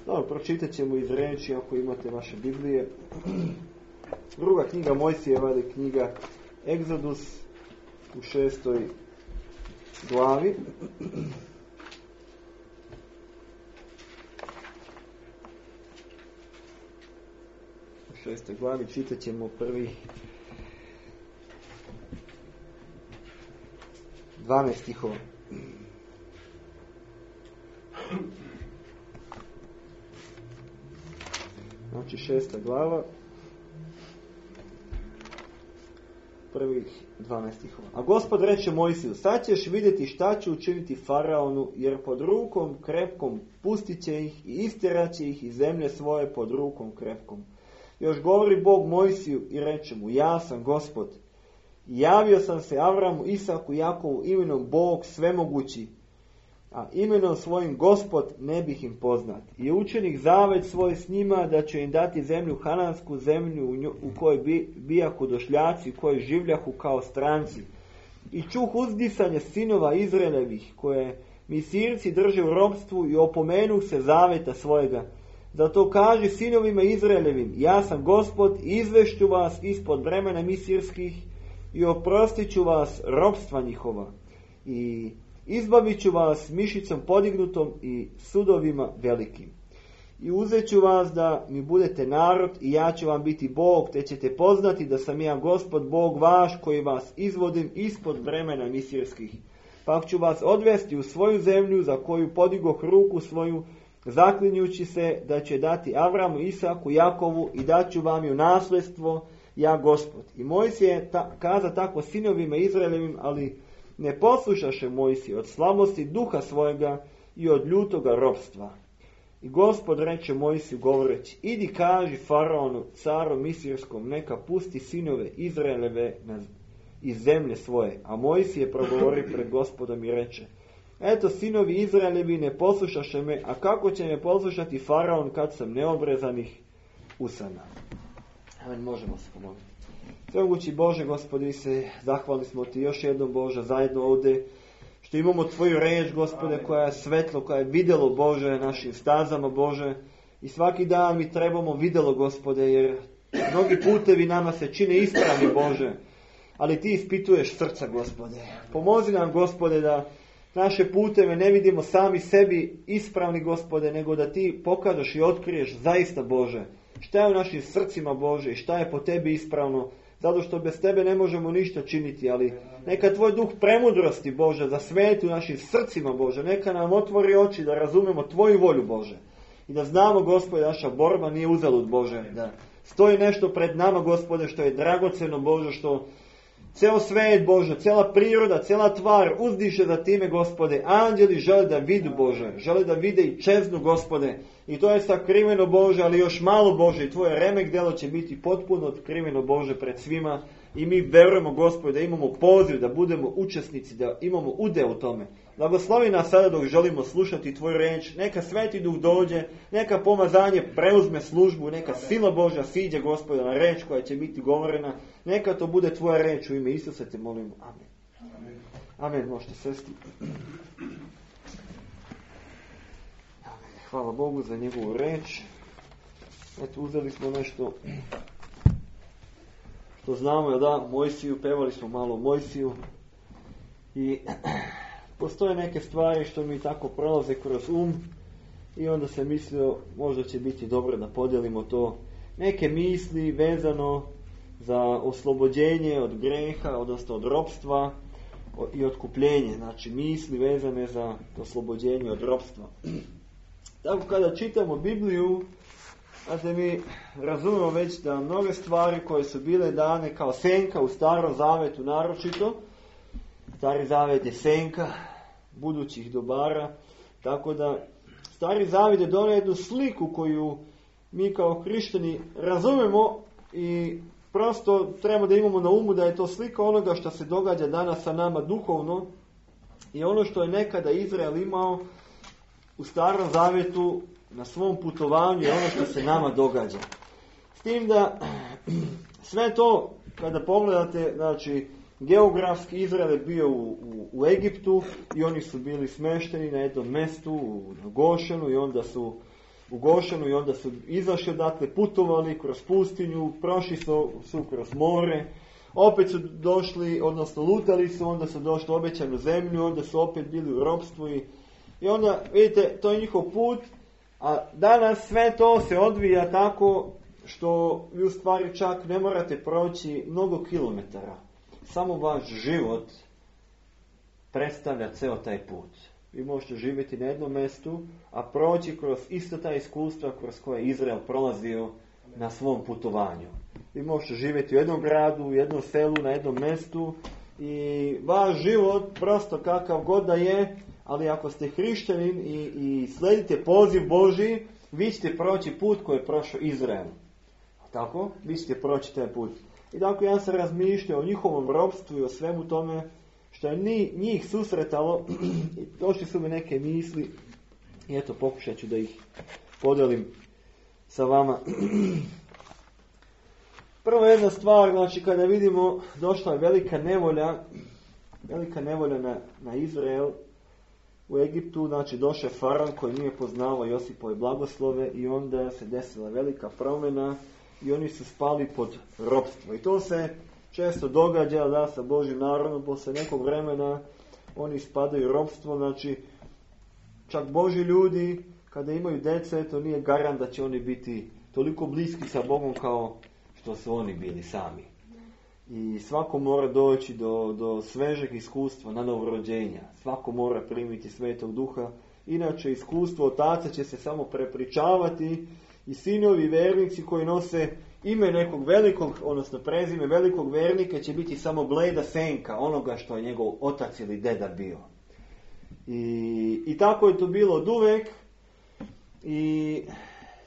Dobro, pročitat ćemo iz riječi ako imate vaše Biblije. Druga knjiga Mojsijeva je knjiga Egzodus u 6. glavi. U 6. glavi čitat ćemo prvih 12 stihova. Znači 6. glava, prvih 12 stihova. A Gospod reče Mojsiju, sad ćeš vidjeti šta će učiniti faraonu, jer pod rukom krepkom pustit će ih i istjerat će ih iz zemlje svoje pod rukom krepkom. Još govori Bog Mojsiju i reče mu, ja sam Gospod. Javio sam se Avramu, Isaku, Jakovu imenom Bog svemogući, a imenom svojim Gospod ne bih im poznat. I učenik zavet svoj s njima da će im dati zemlju hanansku, zemlju u kojoj bijahu došljaci, u kojoj življahu kao stranci. I čuh uzdisanje sinova Izraelevih, koje Misirci drže u ropstvu i opomenuh se zaveta svojega. Zato kaži sinovima Izraelevim, ja sam Gospod i izvešću vas ispod bremena Misirskih i oprostit ću vas ropstva njihova. I izbavit ću vas mišicom podignutom i sudovima velikim. I uzet ću vas da mi budete narod i ja ću vam biti Bog, te ćete poznati da sam ja Gospod Bog vaš koji vas izvodim ispod bremena Misirskih. Pa ću vas odvesti u svoju zemlju za koju podigoh ruku svoju, zaklinjući se da će dati Avramu, Isaku, Jakovu i daću vam ju nasljedstvo, ja Gospod. I Mojsije je kaza tako sinovima Izraelevim, ali ne poslušaše Mojsije od slabosti duha svojega i od ljutoga ropstva. I Gospod reče Mojsiju govoreći, idi kaži faraonu, caru Misirskom, neka pusti sinove Izraeleve iz zemlje svoje. A Mojsije progovori pred Gospodom i reče, eto sinovi Izraelevi ne poslušaše me, a kako će me poslušati faraon kad sam neobrezanih usana. Amen, možemo se pomoliti. Svemogući Bože, Gospodi, se zahvali smo Ti još jednom, Bože, zajedno ovdje, što imamo Tvoju riječ, Gospode, koja je svetlo, koja je vidjelo, Bože, našim stazama, Bože, i svaki dan mi trebamo vidjelo, Gospode, jer mnogi putevi nama se čine ispravni, Bože, ali Ti ispituješ srca, Gospode. Pomozi nam, Gospode, da naše puteve ne vidimo sami sebi ispravni, Gospode, nego da Ti pokažeš i otkriješ zaista, Bože, šta je u našim srcima, Bože, i šta je po Tebi ispravno, zato što bez Tebe ne možemo ništa činiti, ali neka Tvoj duh premudrosti, Bože, zasveti u našim srcima, Bože, neka nam otvori oči da razumemo Tvoju volju, Bože, i da znamo, Gospode, naša borba nije uzalud, Bože, da stoji nešto pred nama, Gospode, što je dragoceno, Bože, što ceo svijet, Bože, cijela priroda, cijela tvar uzdiše za time, Gospode. Anđeli žele da vidu, Bože, žele da vide i čeznu, Gospode. I to je sakriveno, Bože, ali još malo, Bože, i Tvoje remek delo će biti potpuno otkriveno, Bože, pred svima. I mi verujemo, Gospode, da imamo poziv, da budemo učesnici, da imamo udeo u tome. Blagoslovi nas sada dok želimo slušati Tvoju riječ. Neka Sveti Duh dođe, neka pomazanje preuzme službu, neka sila Božja siđe, Gospode, na riječ koja će biti govorena. Neka to bude Tvoja riječ u ime Isusa te molimo. Amen. Amen. Amen. Možete sesti. Hvala Bogu za njegovu riječ. Eto, uzeli smo nešto što znamo, da, Mojsiju, pevali smo malo Mojsiju. I postoje neke stvari što mi tako prolaze kroz i onda se mislio možda će biti dobro da podijelimo to. Neke misli vezano za oslobođenje od greha, odnosno od ropstva i otkupljenje. Znači misli vezane za oslobođenje od ropstva. Tako kada čitamo Bibliju, znači mi razumemo već da mnoge stvari koje su bile dane kao senka u Starom Zavetu naročito, Stari Zavet je senka budućih dobara, tako da Stari Zavet je donio jednu sliku koju mi kao hrišćani razumemo i prosto treba da imamo na umu da je to slika onoga što se događa danas sa nama duhovno i ono što je nekada Izrael imao u Starom Zavetu na svom putovanju je ono što se nama događa. S tim da sve to kada pogledate, znači geografski Izrael je bio u Egiptu i oni su bili smešteni na jednom mjestu, na Gošenu, i onda su u Gošenu i onda su izašli odatle, putovali kroz pustinju, prošli su kroz more, opet su došli, odnosno lutali su, onda su došli u obećanu zemlju, onda su opet bili u ropstvu i onda, vidite, to je njihov put, a danas sve to se odvija tako što vi u stvari čak ne morate proći mnogo kilometara. Samo vaš život predstavlja ceo taj put. Vi možete živjeti na jednom mjestu, a proći kroz isto ta iskustva kroz koje je Izrael prolazio na svom putovanju. Vi možete živjeti u jednom gradu, u jednom selu, na jednom mjestu i vaš život prosto kakav god da je, ali ako ste hrišćanin i sledite poziv Božji, vi ćete proći put koji je prošao Izrael. Tako? Vi ćete proći taj put. I dakle, ja sam razmišljao o njihovom ropstvu i o svemu tome što je njih susretalo i došli su mi neke misli i eto, pokušat ću da ih podelim sa vama. Prva jedna stvar, znači kada vidimo, došla je velika nevolja na Izrael u Egiptu, znači došao je faraon koji nije poznavao Josipove blagoslove i onda se desila velika promjena i oni su spali pod ropstvo. I to se često događa da sa Božjim narodom, posle nekog vremena oni spadaju u ropstvo, znači čak Božji ljudi kada imaju dece, to nije garant da će oni biti toliko bliski sa Bogom kao što su oni bili sami. I svako mora doći do svežeg iskustva na novorođenja. Svako mora primiti Svetog Duha. Inače, iskustvo otaca će se samo prepričavati i sinovi vernici koji nose ime nekog velikog, odnosno prezime velikog vernika će biti samo bleda senka onoga što je njegov otac ili deda bio. I tako je to bilo od uvek i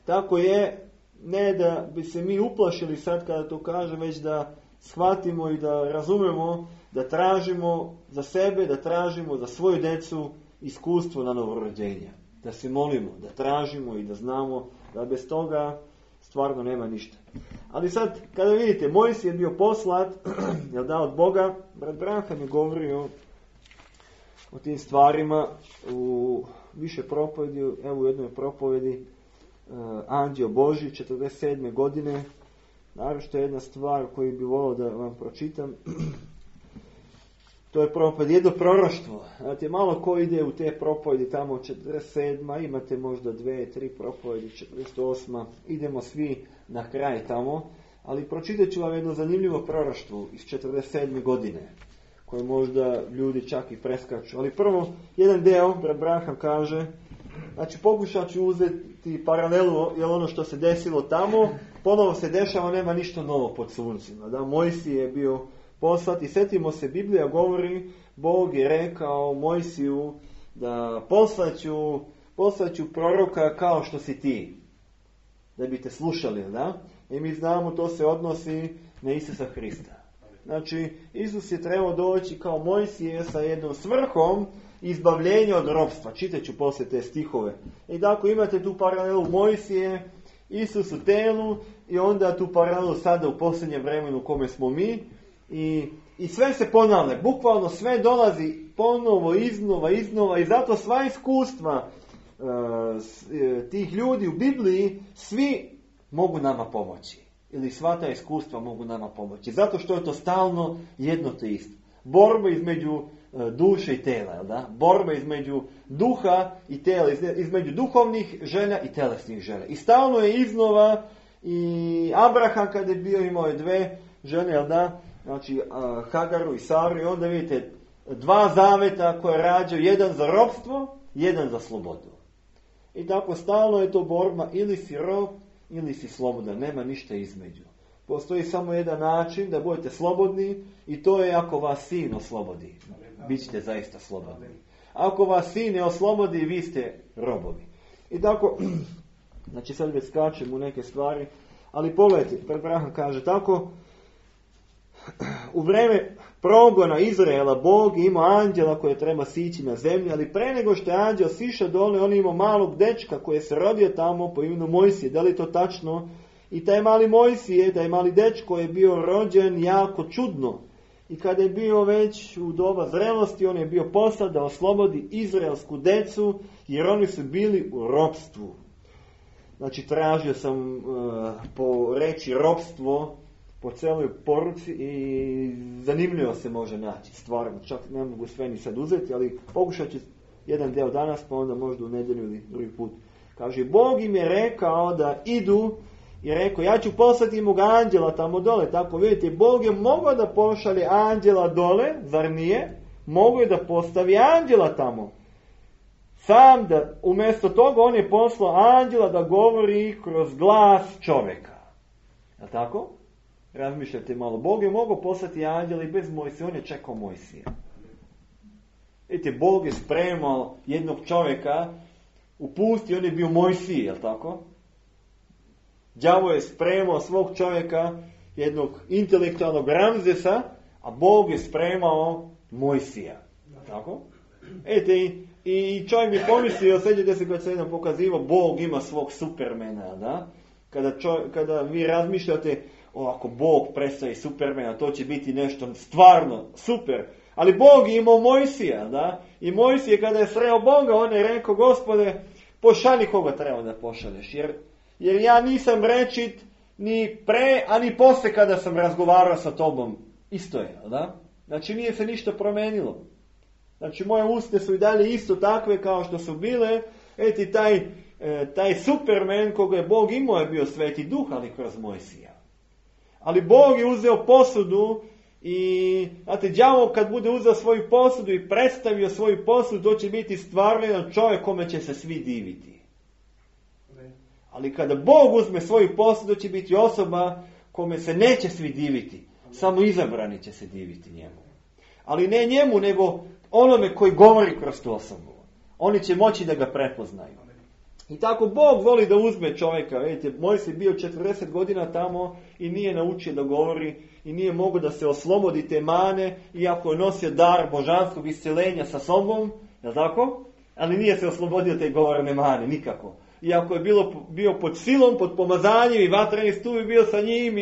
tako je, ne da bi se mi uplašili sad kada to kažem, već da shvatimo i da razumemo, da tražimo za sebe, da tražimo za svoju decu iskustvo na novorođenja. Da se molimo, da tražimo i da znamo da bez toga stvarno nema ništa. Ali sad, kada vidite, Mojsije je bio poslat, jel da, od Boga, brat Branham je govorio o tim stvarima u više propovedi, evo u jednoj propovedi Anđeo Božji, 47. godine. Naravno što je jedna stvar koju bi volio da vam pročitam. To je propoved, jedno proroštvo. Znate, malo ko ide u te propovedi tamo 47. Imate možda 2-3 propovedi, 48. Idemo svi na kraj tamo. Ali pročitat ću vam jedno zanimljivo proroštvo iz 47. godine. Koje možda ljudi čak i preskaču. Ali prvo, jedan deo, brat Branham kaže, znači pokušat ću uzeti paralelu, jer ono što se desilo tamo, ponovo se dešava, nema ništa novo pod suncima. Da, Mojsije je bio poslat i setimo se, Biblija govori, Bog je rekao Mojsiju da poslaću proroka kao što si ti, da bi te slušali, da? I mi znamo, to se odnosi na Isusa Hrista. Znači, Isus je trebao doći kao Mojsije sa jednom svrhom izbavljenja od ropstva. Čitat ću poslije te stihove. I dakle, imate tu paralelu Mojsije, Isus u telu i onda tu paralelu sada u posljednjem vremenu u kome smo mi. I sve se ponavlja. Bukvalno sve dolazi ponovo, iznova i zato sva iskustva tih ljudi u Bibliji svi mogu nama pomoći. Ili sva ta iskustva mogu nama pomoći. Zato što je to stalno jedno te isto. Borba između duše i tela, jel da? Borba između duha i tela, između duhovnih želja i telesnih želja. I stalno je iznova i Abraham kada je bio imao je dve žene, jel da? Znači Hagaru i Saru i onda vidite dva zaveta koje rađaju, jedan za ropstvo, jedan za slobodu. I tako stalno je to borba, ili si rob, ili si slobodan, nema ništa između. Postoji samo jedan način da budete slobodni i to je ako vas sin oslobodi. Bićete zaista slobodni. Ako vas sin ne oslobodi, vi ste robovi. I tako, znači sad već skačem u neke stvari, ali pogledajte, Abraham kaže tako, u vreme progona Izraela Bog je imao anđela koje treba sići na zemlji, ali pre nego što je anđel sišao dole, on je imao malog dečka koji se rodio tamo po imenu Mojsije. Da li je to tačno? I taj mali Mojsije, taj mali dečko je bio rođen jako čudno. I kada je bio već u doba zrelosti, on je bio poslat da oslobodi izraelsku decu, jer oni su bili u ropstvu. znači tražio sam po reći ropstvo po celoj poruci i zanimljivo se može naći, stvarno, čak ne mogu sve ni sad uzeti, ali pokušat ću jedan deo danas, pa onda možda u nedjelju ili drugi put. Kaže, Bog im je rekao da idu i rekao, ja ću poslati mog anđela tamo dole. Tako vidite, Bog je mogao da pošalje anđela dole, zar nije? Mogao je da postavi anđela tamo. Sam da, umjesto toga on je poslao anđela da govori kroz glas čovjeka. Je li tako? Razmišljajte malo. Bog je mogao poslati anđela i bez Mojsija, on je čekao Mojsija. Vidite, Bog je spremao jednog čovjeka u pusti, on je bio Mojsije, je li tako? Đavo je spremao svog čovjeka, jednog intelektualnog Ramzesa, a Bog je spremao Mojsija. Tako? Vidite, i čovjek bi pomislio, sjećate se kad se jedan pokazivao, Bog ima svog Supermana, da? Kada vi razmišljate, ako Bog predstavi Supermana, to će biti nešto stvarno super. Ali Bog je imao Mojsija, da? I Mojsije kada je sreo Boga, on je rekao, Gospode, pošalji koga treba da pošalješ, jer ja nisam rečit ni pre, a ni posle kada sam razgovarao sa tobom. Isto je, da? Znači nije se ništa promenilo. Znači moje usne su i dalje isto takve kao što su bile. Eti taj Superman koga je Bog imao je bio Sveti Duh, ali kroz Mojsija. Ali Bog je uzeo posudu i, znate, đavo kad bude uzeo svoju posudu i predstavio svoju posudu, to će biti stvarno jedan čovjek kome će se svi diviti. Ali kada Bog uzme svoju posudu, će biti osoba kome se neće svi diviti. Samo izabrani će se diviti njemu. Ali ne njemu, nego onome koji govori kroz tu osobu. Oni će moći da ga prepoznaju. I tako Bog voli da uzme čovjeka. Vidite, Mojsije bio 40 godina tamo i nije naučio da govori i nije mogao da se oslobodi te mane, iako je nosio dar božanskog isceljenja sa sobom, je li tako? Ali nije se oslobodio te govorne mane, nikako. Iako je bio pod silom, pod pomazanjem i vatreni stup je bio sa njim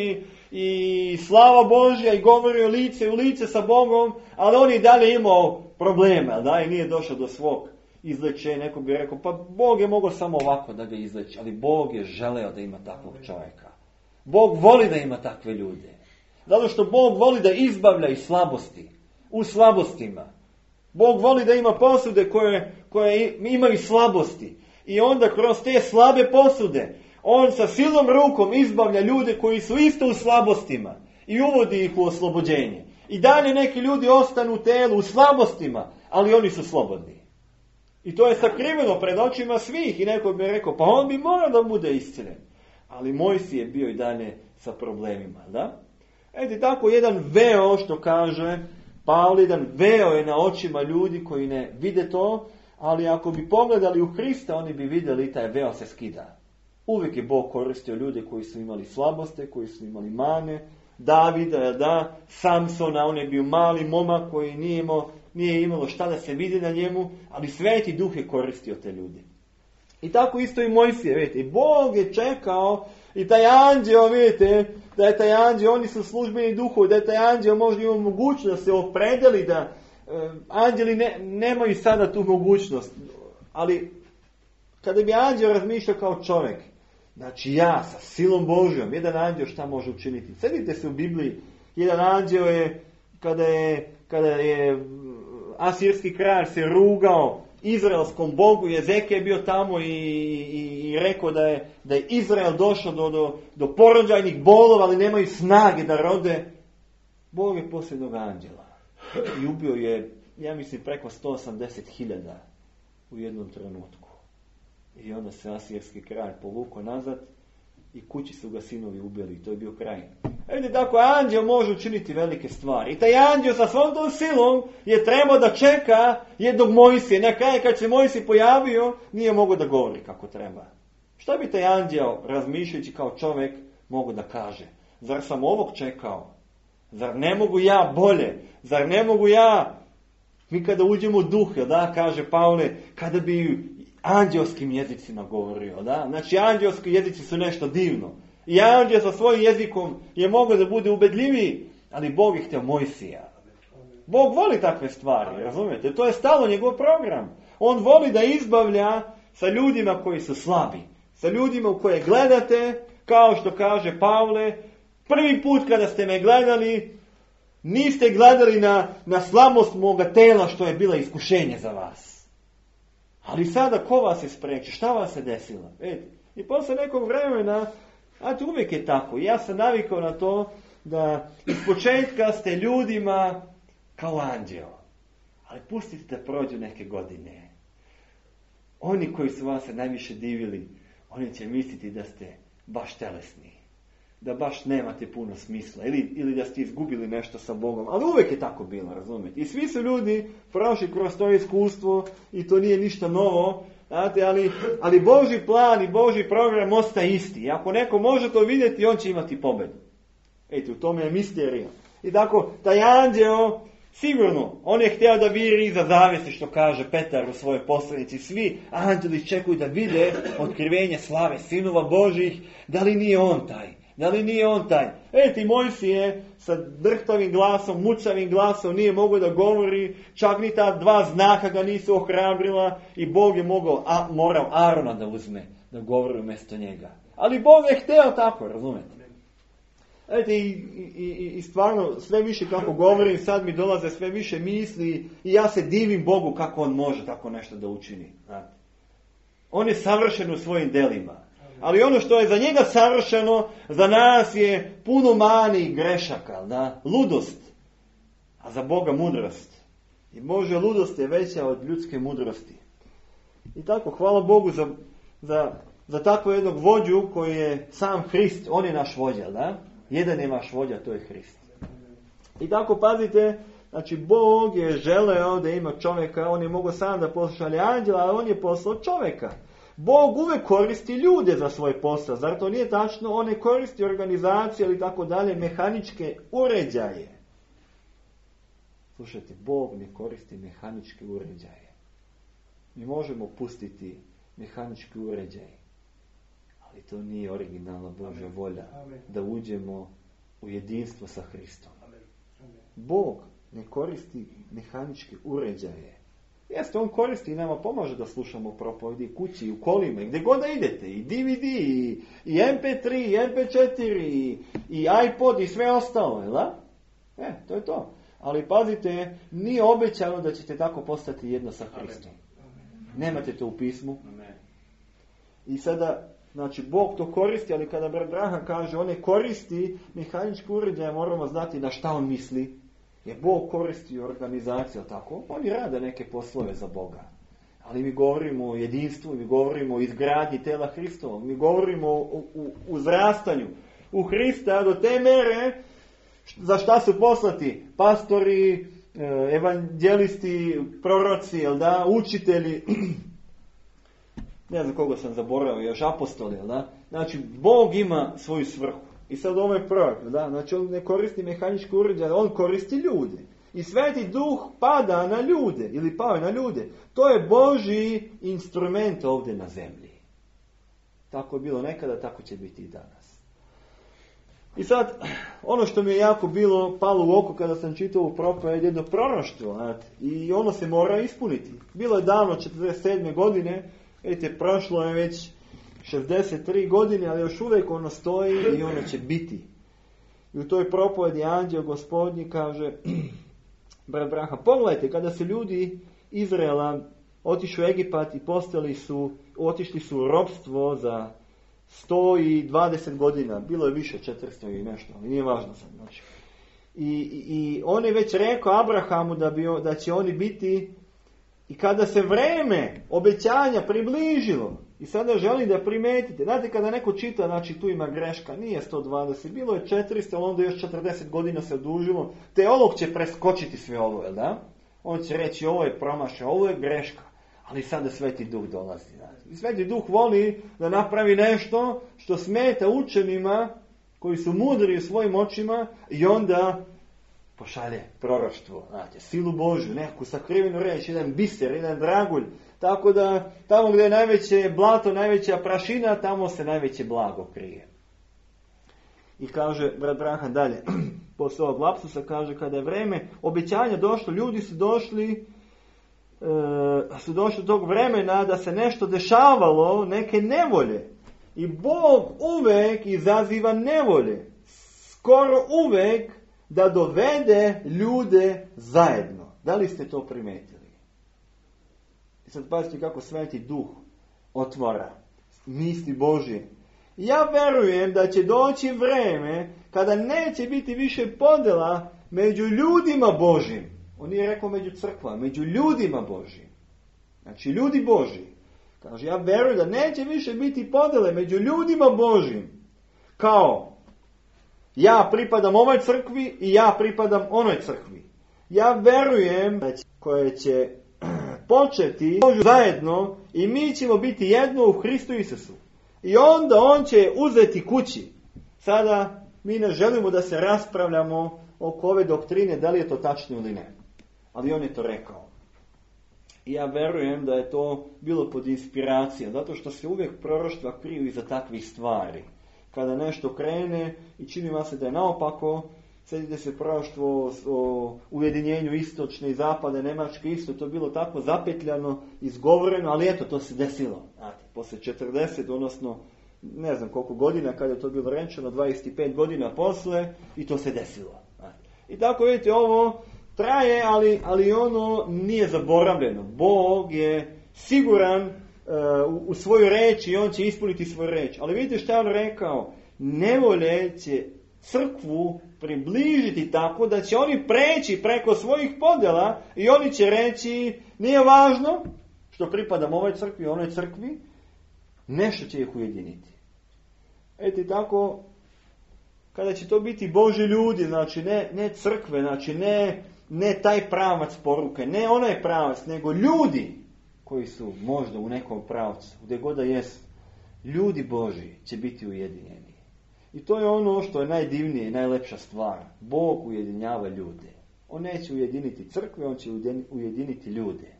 i slava Božja i govorio lice u lice sa Bogom, ali on i dalje imao problema, da, i nije došao do svog izlečenja. Neko bi rekao, pa Bog je mogao samo ovako da ga izleči, ali Bog je želeo da ima takvog čovjeka. Bog voli da ima takve ljude. Zato što Bog voli da izbavlja iz slabosti, u slabostima. Bog voli da ima posude koje imaju slabosti. I onda kroz te slabe posude, on sa silom rukom izbavlja ljude koji su isto u slabostima i uvodi ih u oslobođenje. I dalje neki ljudi ostanu u telu, u slabostima, ali oni su slobodni. I to je sakriveno pred očima svih. I neko bi rekao, pa on bi morao da bude iscelen. Ali Mojsije je bio i dalje sa problemima, da? Eto, tako jedan veo, što kaže Pavle, jedan veo je na očima ljudi koji ne vide to, ali ako bi pogledali u Hrista, oni bi vidjeli taj veo se skida. Uvijek je Bog koristio ljude koji su imali slabosti, koji su imali mane. Davida, da, Samsona, on je bio mali momak koji nije imalo šta da se vidi na njemu, ali Sveti Duh je koristio te ljude. I tako isto i Mojsije, vidite, i Bog je čekao i taj anđeo, vidite, da je taj anđeo, oni su službeni duhovi, da je taj anđeo možda ima mogućnost da se opredeli, da anđeli nemaju sada tu mogućnost, ali kada bi anđeo razmišljao kao čovjek, znači ja sa silom Božjom, jedan anđeo šta može učiniti? Sjedite se u Bibliji, jedan anđeo je, kada je asirski kralj se rugao izraelskom Bogu, Jezekija je bio tamo i rekao da je Izrael došao do porođajnih bolova, ali nemaju snage da rode. Bog je poslao jednog anđela i ubio je, ja mislim, preko 180.000 u jednom trenutku. I onda se asirski kralj povukao nazad i kući su ga sinovi ubili i to je bio kraj. Vidite, tako anđeo može učiniti velike stvari. I taj anđeo sa svom tom silom je trebao da čeka jednog Mojsije. Na kraju kad se Mojsije pojavio, nije mogao da govori kako treba. Šta bi taj anđeo, razmišljajući kao čovjek, mogao da kaže? Zar sam ovog čekao? Zar ne mogu ja bolje? Zar ne mogu ja? Mi kada uđemo u duh, da, kaže Pavle, kada bi anđelskim jezicima govorio, da? Znači, anđelski jezici su nešto divno. I anđel sa svojim jezikom je mogao da bude ubedljiviji, ali Bog je htio Mojsija. Bog voli takve stvari, razumijete? To je stalno njegov program. On voli da izbavlja sa ljudima koji su slabi, sa ljudima u koje gledate, kao što kaže Pavle, prvi put kada ste me gledali, niste gledali na slabost moga tela što je bila iskušenje za vas. Ali sada ko vas je spriječio? Šta vas je desilo? Vidite? I posle nekog vremena, a to uvijek je tako. Ja sam navikao na to da iz početka ste ljudima kao anđeo. Ali pustite da prođu neke godine. Oni koji su vas najviše divili, oni će misliti da ste baš telesni. Da baš nemate puno smisla. Ili da ste izgubili nešto sa Bogom. Ali uvijek je tako bilo, razumijete. I svi su ljudi prošli kroz to iskustvo i to nije ništa novo. Znate, ali Božji plan i Božji program ostaje isti. I ako neko može to vidjeti, on će imati pobedu. Eto, u tome je misterija. I tako, taj anđeo, sigurno, on je htio da viri iza zavjese, što kaže Petar u svojoj poslanici. Svi anđeli čekuju da vide otkrivenje slave sinova Božjih. Da li nije on taj? Da li nije on taj? Eti, Mojsije sa drhtavim glasom, mucavim glasom nije mogao da govori, čak ni ta dva znaka ga nisu ohrabrila i Bog je morao Arona da uzme, da govori umjesto njega. Ali Bog je hteo tako, razumete? Eti, i stvarno sve više kako govorim, sad mi dolaze sve više misli i ja se divim Bogu kako on može tako nešto da učini. Znate? On je savršen u svojim delima. Ali ono što je za njega savršeno, za nas je puno mani i grešaka, da? Ludost, a za Boga mudrost. I Božja ludost je veća od ljudske mudrosti. I tako, hvala Bogu za takvo jednog vođu koji je sam Hrist, on je naš vođa, da? Jedan je naš vođa, to je Hrist. I tako, pazite, znači Bog je želeo da ima čovjeka, on je mogao sam da pošalje anđela, ali on je poslao čovjeka. Bog uvijek koristi ljude za svoj posao. Zar to nije tačno? On ne koristi organizacije ili tako dalje, mehaničke uređaje. Slušajte, Bog ne koristi mehaničke uređaje. Mi možemo pustiti mehanički uređaj. Ali to nije originalna Božja volja. Da uđemo u jedinstvo sa Hristom. Bog ne koristi mehaničke uređaje. Jeste, on koristi i nama pomaže da slušamo propovedi kući, u kolima, gdje god da idete, i DVD, i MP3, i MP4, i iPod, i sve ostalo, jel da? To je to. Ali pazite, nije obećano da ćete tako postati jedno sa Hristom. Nemate to u pismu. I sada, znači, Bog to koristi, ali kada brat Branham kaže, on ne koristi mehanički uređaj, moramo znati na šta on misli. Jer Bog koristi organizaciju, tako? Oni rade neke poslove za Boga. Ali mi govorimo o jedinstvu, mi govorimo o izgradnji tela Hristovog, mi govorimo o uzrastanju u Hrista do te mere za šta su poslati pastori, evanđelisti, proroci, jel da, učitelji, ne znam koga sam zaboravio, još apostoli, jel da? Znači, Bog ima svoju svrhu. I sad ovo je prorok, da? Znači on ne koristi mehanički uređaj, on koristi ljude. I Sveti Duh pada na ljude, ili pao na ljude. To je Božji instrument ovdje na zemlji. Tako je bilo nekada, tako će biti i danas. I sad, ono što mi je jako palo u oko kada sam čitao ovu propoved, jedno proroštvo, znate, i ono se mora ispuniti. Bilo je davno 47. godine, vidite, prošlo je već 63 godine, ali još uvijek ono stoji i ono će biti. I u toj propovedi anđeo Gospodnji kaže, brat Branham, pogledajte, kada su ljudi Izraela otišli u Egipat i otišli su u ropstvo za 120 godina, bilo je više 400 i nešto, ali nije važno sad. Znači. I on je već rekao Abrahamu da će oni biti, i kada se vreme obećanja približilo, i sada želim da primetite, znate kada neko čita, znači tu ima greška, nije 120, bilo je 400, ali onda još 40 godina se odužilo, teolog će preskočiti sve ovo, jel da? On će reći ovo je promašaj, ovo je greška, ali sada Sveti Duh dolazi. I Sveti Duh voli da napravi nešto što smeta učenima koji su mudri u svojim očima i onda pošalje proroštvo, znate, silu Božju, neku sakrivenu reč, jedan biser, jedan dragulj, tako da tamo gdje je najveće blato, najveća prašina, tamo se najveće blago krije. I kaže brat Branham dalje, posle ovog lapsusa kaže, kada je vreme obećanja došlo, ljudi su došli do tog vremena da se nešto dešavalo, neke nevolje. I Bog uvek izaziva nevolje. Skoro uvek da dovede ljude zajedno. Da li ste to primetili? I sad pazite kako Sveti Duh otvara misli Božje. Ja verujem da će doći vreme kada neće biti više podjela među ljudima Božjim. On nije rekao među crkvama, među ljudima Božjim. Znači ljudi Božji. Kaže, ja verujem da neće više biti podjele među ljudima Božjim. Kao, ja pripadam ovoj crkvi i ja pripadam onoj crkvi. Ja verujem da koje će početi zajedno i mi ćemo biti jedno u Hristu Isusu. I onda on će uzeti kući. Sada mi ne želimo da se raspravljamo oko ove doktrine, da li je to tačno ili ne. Ali on je to rekao. I ja verujem da je to bilo pod inspiracijom, zato što se uvijek proroštva kriju iza takvih stvari. Kada nešto krene i čini vam se da je naopako, sjetite se proroštvo o ujedinjenju istočne i zapadne Njemačke, isto to bilo tako zapetljano, izgovoreno, ali eto, to se desilo. Znate, poslije 40, odnosno ne znam koliko godina, kada je to bilo rečeno, 25 godina posle, i to se desilo. Znate. I tako vidite, ovo traje, ali ono nije zaboravljeno. Bog je siguran u svoju reč i on će ispuniti svoju reč. Ali vidite što je on rekao, nevolje će crkvu približiti tako da će oni preći preko svojih podjela i oni će reći, nije važno što pripadam ovoj crkvi i onoj crkvi, nešto će ih ujediniti. Eto tako, kada će to biti Božji ljudi, znači ne crkve, znači ne taj pravac poruke, ne onaj pravac, nego ljudi koji su možda u nekom pravcu, gdje god da jesu, ljudi Božji će biti ujedinjeni. I to je ono što je najdivnije i najlepša stvar. Bog ujedinjava ljude. On neće ujediniti crkve, on će ujediniti ljude.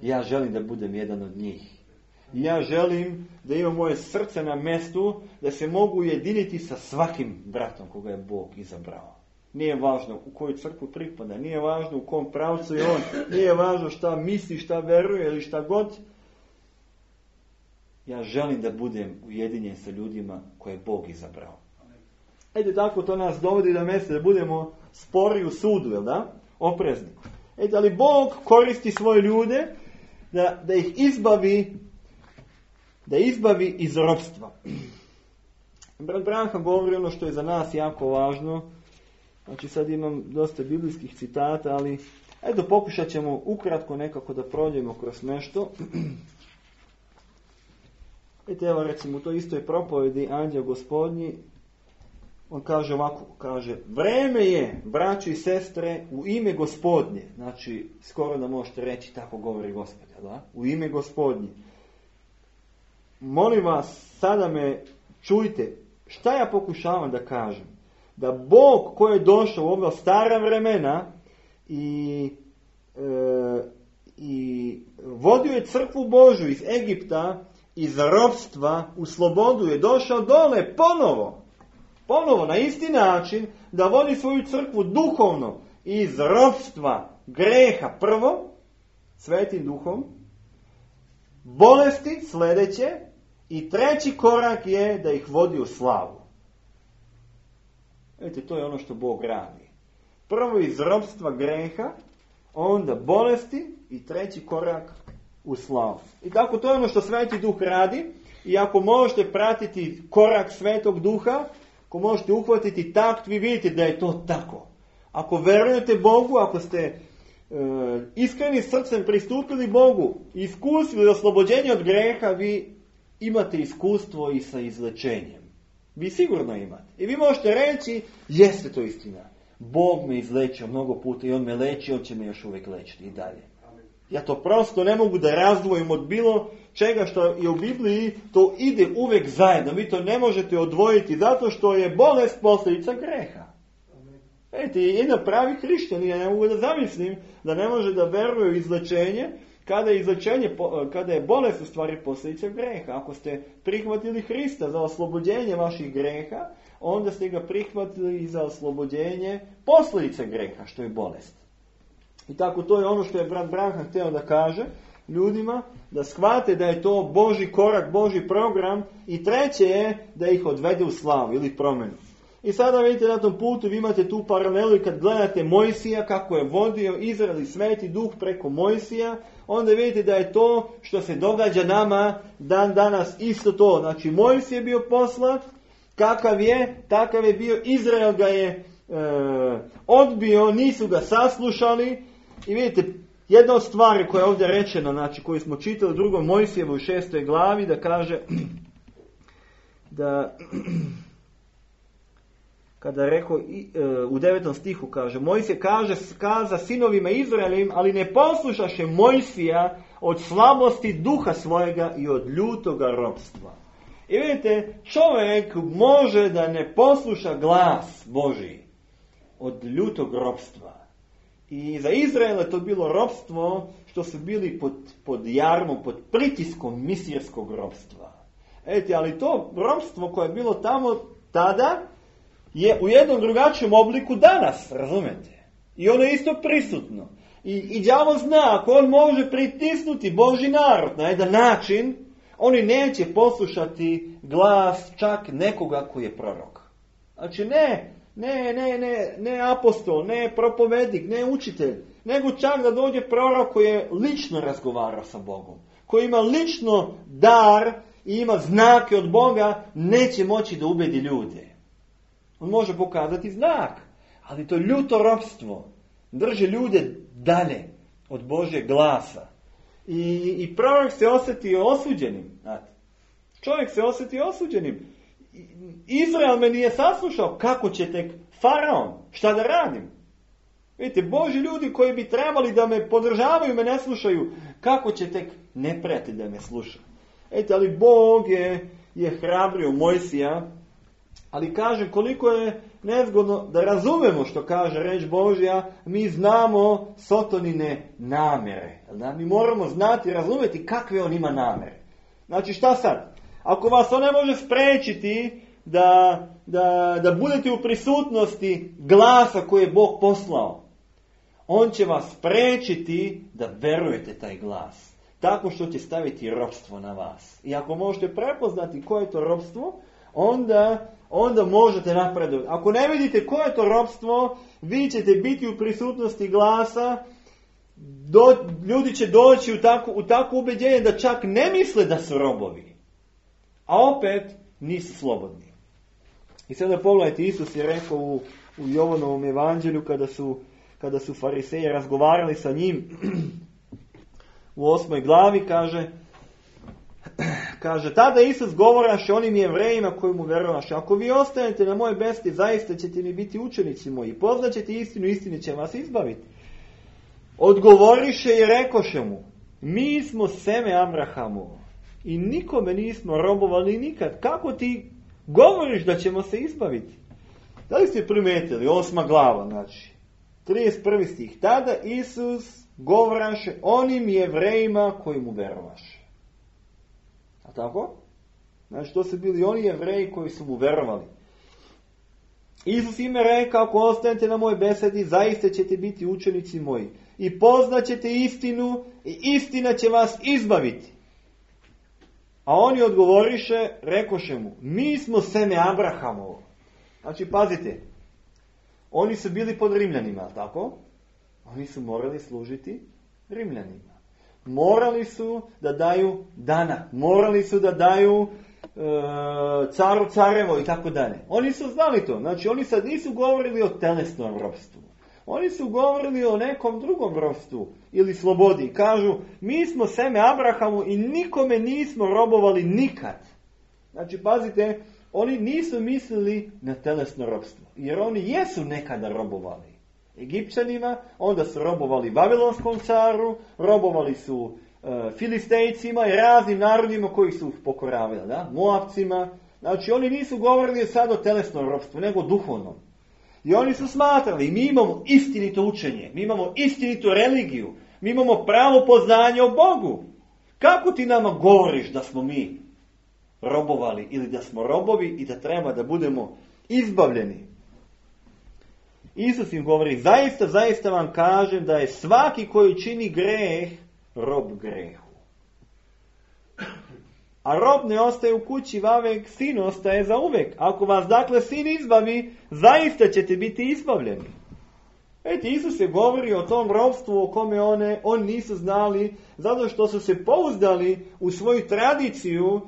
Ja želim da budem jedan od njih. I ja želim da imam moje srce na mjestu da se mogu ujediniti sa svakim bratom koga je Bog izabrao. Nije važno u koju crkvu pripada, nije važno u kom pravcu je on, nije važno šta misli, šta veruje ili šta god. Ja želim da budem ujedinjen sa ljudima koje je Bog izabrao. Ede tako to nas dovodi do mjesta da budemo spori u sudu, jel da? Oprezni. Ede, ali Bog koristi svoje ljude da ih izbavi iz ropstva. Brat Branham govori ono što je za nas jako važno. Znači sad imam dosta biblijskih citata, ali eto pokušat ćemo ukratko nekako da prođemo kroz nešto. Evo recimo u toj istoj propovedi Anđeo Gospodnji, on kaže ovako, vreme je, braći i sestre, u ime Gospodnje. Znači, skoro da možete reći, tako govori Gospod, da? U ime Gospodnje. Molim vas, sada me čujte, šta ja pokušavam da kažem? Da Bog koji je došao u ova stara vremena i vodio je crkvu Božju iz Egipta, iz ropstva u slobodu, je došao dole ponovo na isti način da vodi svoju crkvu duhovno iz ropstva greha prvo, Svetim Duhom, bolesti sljedeće i treći korak je da ih vodi u slavu. Vidite, to je ono što Bog radi. Prvo iz ropstva greha, onda bolesti i treći korak u slavu. I tako to je ono što Sveti Duh radi. I ako možete pratiti korak Svetog Duha, ako možete uhvatiti takt, vi vidite da je to tako. Ako verujete Bogu, ako ste iskreni srcem pristupili Bogu i iskusili oslobođenje od greha, vi imate iskustvo i sa izlečenjem. Vi sigurno imate. I vi možete reći, jeste to istina. Bog me izlečio mnogo puta i on me leči, on će me još uvijek lečiti i dalje. Ja to prosto ne mogu da razdvojim od bilo čega što je u Bibliji, to ide uvijek zajedno. Vi to ne možete odvojiti zato što je bolest posljedica greha. Vidite, jedan pravi hrišćan, ja ne mogu da zamislim da ne može da veruje u izlečenje, kada je bolest u stvari posljedica greha. Ako ste prihvatili Hrista za oslobođenje vaših greha, onda ste ga prihvatili i za oslobođenje posljedice greha, što je bolest. I tako to je ono što je brat Branham htio da kaže, ljudima, da shvate da je to Božji korak, Božji program, i treće je da ih odvede u slavu ili promjenu. I sada vidite na tom putu, vi imate tu paralelu i kad gledate Mojsija kako je vodio Izrael i Sveti Duh preko Mojsija, onda vidite da je to što se događa nama dan danas isto to. Znači Mojsij je bio poslat, kakav je, takav je bio, Izrael ga je odbio, nisu ga saslušali. I vidite, jedna od stvari koja je ovdje rečena, znači koju smo čitali u 2. Mojsijevoj 6. glavi, da kaže da kada je rekao u 9. stihu kaže, Mojsije kaza sinovima Izraelim, ali ne poslušaše Mojsija od slabosti duha svojega i od ljutoga ropstva. I vidite, čovjek može da ne posluša glas Božji od ljutog ropstva. I za Izrael je to bilo ropstvo što su bili pod jarmom, pod pritiskom misirskog ropstva. Ali to ropstvo koje je bilo tamo tada je u jednom drugačijem obliku danas, razumete? I ono je isto prisutno. I đavo zna, ako on može pritisnuti Božji narod na jedan način, oni neće poslušati glas čak nekoga koji je prorok. Znači ne apostol, ne propovednik, ne učitelj, nego čak da dođe prorok koji je lično razgovarao sa Bogom, koji ima lično dar i ima znake od Boga, neće moći da ubedi ljude. On može pokazati znak, ali to ljuto ropstvo drži ljude dalje od Božjeg glasa. I prorok se osjetio osuđenim. Znate. Čovjek se osjetio osuđenim. Izrael me nije saslušao. Kako će tek faraon? Šta da radim? Vidite, Božji ljudi koji bi trebali da me podržavaju, me ne slušaju. Kako će tek neprijatelj da me sluša? Ali Bog je hrabrio Mojsija. Ali kaže koliko je nezgodno da razumemo što kaže reč Božja, mi znamo Sotonine namjere. Da? Mi moramo znati, razumjeti kakve on ima namjere. Znači šta sad? Ako vas on ne može spriječiti da budete u prisutnosti glasa koji je Bog poslao, on će vas spriječiti da verujete taj glas. Tako što će staviti ropstvo na vas. I ako možete prepoznati koje je to ropstvo, onda možete napredovati. Ako ne vidite koje je to ropstvo, vi ćete biti u prisutnosti glasa, ljudi će doći u takvo ubeđenje da čak ne misle da su robovi, a opet nisu slobodni. I sada pogledajte, Isus je rekao u Jovanovom evanđelju kada su fariseji razgovarali sa njim u 8. glavi, kaže, tada Isus govoraše onim Jevrejima koji mu verovaše, ako vi ostanete na moje besti, zaista ćete mi biti učenici moji, poznaćete istinu, istina će vas izbaviti. Odgovoriše i rekoše mu, mi smo seme Abrahamovo i nikome nismo robovali nikad. Kako ti govoriš da ćemo se izbaviti? Da li ste primijetili? 8. glava, znači 31. stih. Tada Isus govoraše onim Jevrejima koji mu verovaše. A tako? Znači to su bili oni Jevreji koji su mu verovali. Isus im je rekao, ako ostanete na mojoj besedi, zaista ćete biti učenici moji. I poznaćete istinu i istina će vas izbaviti. A oni odgovoriše, rekoše mu, mi smo seme Abrahamovo. Znači pazite, oni su bili pod Rimljanima, tako? Oni su morali služiti Rimljanima. Morali su da daju danak, morali su da daju caru carevo i tako dalje. Oni su znali to, znači oni sad nisu govorili o telesnom ropstvu. Oni su govorili o nekom drugom ropstvu ili slobodi. Kažu, mi smo seme Abrahamu i nikome nismo robovali nikad. Znači, pazite, oni nisu mislili na telesno ropstvo. Jer oni jesu nekada robovali Egipćanima, onda su robovali Vavilonskom caru, robovali su Filistejcima i raznim narodima koji su pokoravali, da? Moabcima. Znači, oni nisu govorili sad o telesnom ropstvu, nego o duhovnom. I oni su smatrali, mi imamo istinito učenje, mi imamo istinitu religiju, mi imamo pravo poznanje o Bogu. Kako ti nama govoriš da smo mi robovali ili da smo robovi i da treba da budemo izbavljeni? Isus im govori, zaista vam kažem da je svaki koji čini greh rob grehu. A rob ne ostaje u kući vavek, sin ostaje za uvek. Ako vas dakle sin izbavi, zaista ćete biti izbavljeni. Isus je govorio o tom robstvu o kome oni nisu znali, zato što su se pouzdali u svoju tradiciju.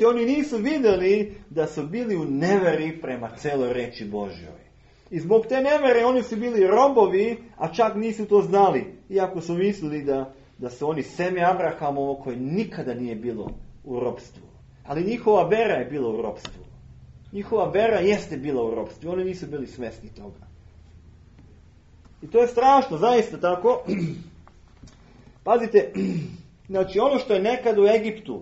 Oni nisu vidjeli da su bili u neveri prema celoj reči Božjoj. I zbog te nevere oni su bili robovi, a čak nisu to znali. Iako su mislili da su oni seme Abrahamovo koje nikada nije bilo u robstvu. Ali njihova vera je bila u robstvu. Njihova vera jeste bila u robstvu. Oni nisu bili svjesni toga. I to je strašno, zaista tako. Pazite, znači ono što je nekad u Egiptu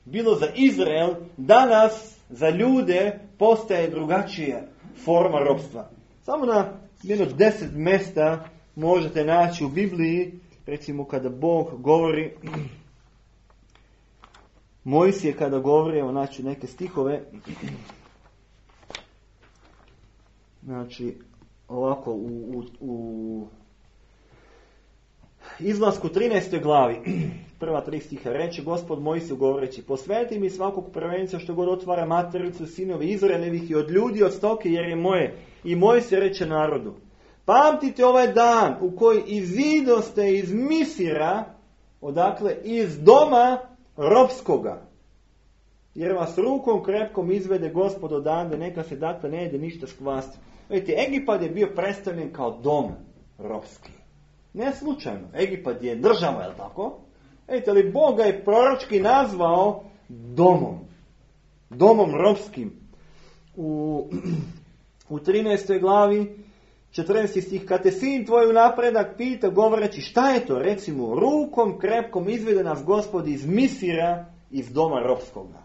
bilo za Izrael, danas za ljude postaje drugačija forma robstva. Samo na jedno 10 mjesta možete naći u Bibliji, recimo kada Bog govori, Mojsije kada govori, evo naći neke stihove, znači ovako u Izlasku 13. glavi, prva 3 stiha, reče Gospod Mojsiju govoreći, posveti mi svakog prvenca što god otvara matericu sinove Izraelevih i od ljudi od stoke jer je moje. I Mojsije reče narodu, pamtite ovaj dan u koji izidoste iz Misira, odakle iz doma robskoga, jer vas rukom krepkom izvede Gospod odande, neka se dakle ne jede ništa skvasti. Vidite, Egipat je bio predstavljen kao dom robski. Ne slučajno. Egipat je država, je li tako? Ali Bog ga je proročki nazvao domom. Domom robskim. U 13. glavi, 14. stih, kad te sin tvoj u napredak pita, govoreći šta je to? Recimo, rukom krepkom izvede nas Gospod iz Misira, iz doma robskoga.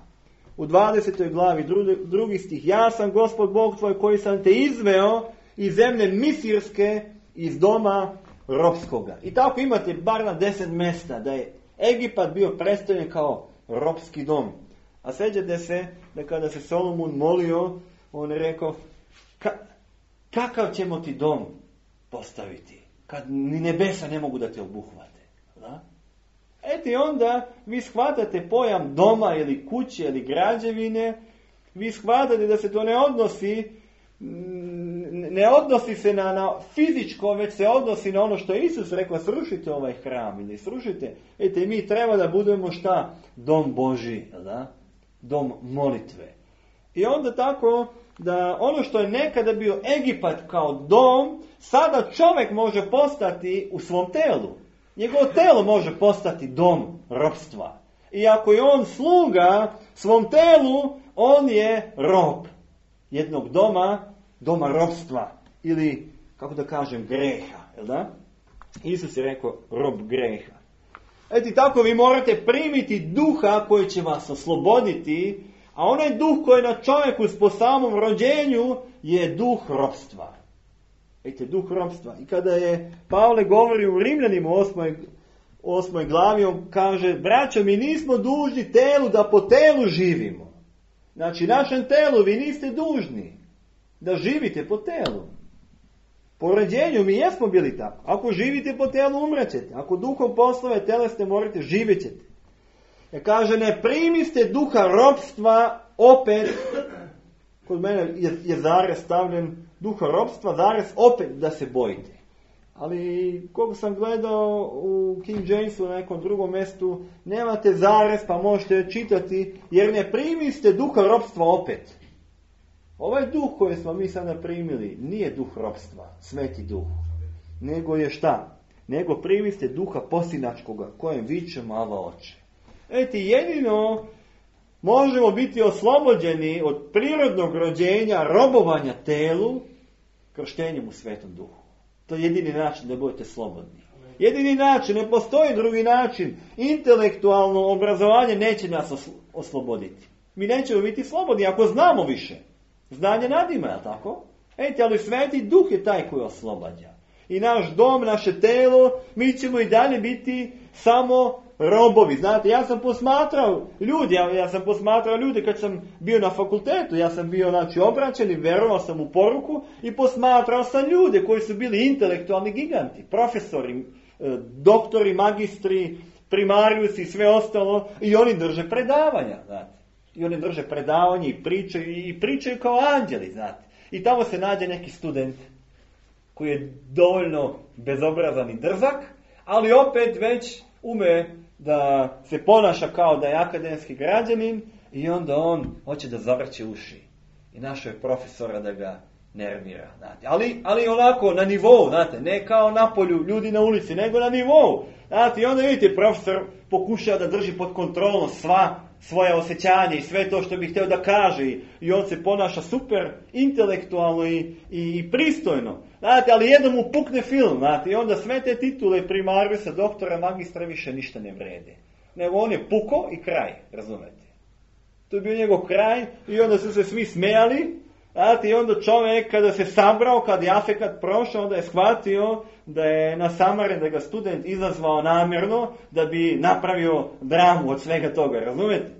U 20. glavi, 2. stih, ja sam Gospod Bog tvoj koji sam te izveo iz zemlje Misirske, iz doma robskoga. I tako imate bar na 10 mjesta da je Egipat bio predstavljen kao robski dom. A sjećate se da kada se Solomon molio, on je rekao, kakav ćemo ti dom postaviti kad ni nebesa ne mogu da te obuhvate. Da? Onda vi shvatate pojam doma ili kuće ili građevine, vi shvatate da se to ne odnosi se na fizičko, već se odnosi na ono što je Isus rekao, srušite ovaj hram ili srušite. Mi treba da budemo šta? Dom Božji, da? Dom molitve. I onda tako da ono što je nekada bio Egipat kao dom, sada čovjek može postati u svom telu. Njegovo telo može postati dom robstva. I ako je on sluga svom telu, on je rob jednog doma robstva. Ili, kako da kažem, greha. Jel da? Isus je rekao rob greha. Tako vi morate primiti duha koji će vas osloboditi, a onaj duh koji je na čovjeku po samom rođenju je duh robstva. Duh robstva. I kada je Pavle govori u Rimljanima 8. glavi, on kaže, braćo, mi nismo dužni telu da po telu živimo. Znači, našem telu vi niste dužni da živite po telu. Po rođenju mi jesmo bili tako. Ako živite po telu, umrećete. Ako duhom poslove telesne morate, živjet ćete. Kaže, ne primiste duha robstva opet, kod mene je zarez stavljen duha robstva, zarez opet da se bojite. Ali, koliko sam gledao u King Jamesu na nekom drugom mjestu, nemate zarez pa možete čitati, jer ne primiste duha robstva opet. Ovaj duh koji smo mi sada primili nije duh robstva, sveti duh. Nego je šta? Nego primiste duha posinačkoga, kojem viče Ava Oče. Jedino možemo biti oslobođeni od prirodnog rođenja, robovanja telu, krštenjem u Svetom Duhu. To je jedini način da budete slobodni. Jedini način, ne postoji drugi način. Intelektualno obrazovanje neće nas osloboditi. Mi nećemo biti slobodni ako znamo više. Znanje nadima, je tako? Ali Sveti Duh je taj koji oslobađa. I naš dom, naše telo, mi ćemo i dalje biti samo robovi. Znate, ja sam posmatrao ljude kad sam bio na fakultetu. Ja sam bio obraćen i verovao sam u poruku i posmatrao sam ljude koji su bili intelektualni giganti. Profesori, doktori, magistri, primarius i sve ostalo, i oni drže predavanja, znate. I oni drže predavanje i pričaju kao anđeli, znate. I tamo se nađe neki student koji je dovoljno bezobrazan i drzak, ali opet već ume da se ponaša kao da je akademski građanin i onda on hoće da zavrće uši. I našao je profesora da ga nervira, znate. Ali onako na nivou, znate, ne kao napolju ljudi na ulici, nego na nivou. Znate, i onda vidite, profesor pokušava da drži pod kontrolom svoje osjećanje i sve to što bi htio da kaže i on se ponaša super intelektualno i pristojno. Znate, ali jednom mu pukne film, znate, i onda sve te titule primariusa, doktora, magistra više ništa ne vrede. Nego on je puko i kraj, razumete. To je bio njegov kraj i onda su se svi smijali, znate, i onda čovjek kada se sabrao, kad je afekat prošao, onda je shvatio da je nasamaren, da ga student izazvao namjerno, da bi napravio dramu od svega toga, razumete?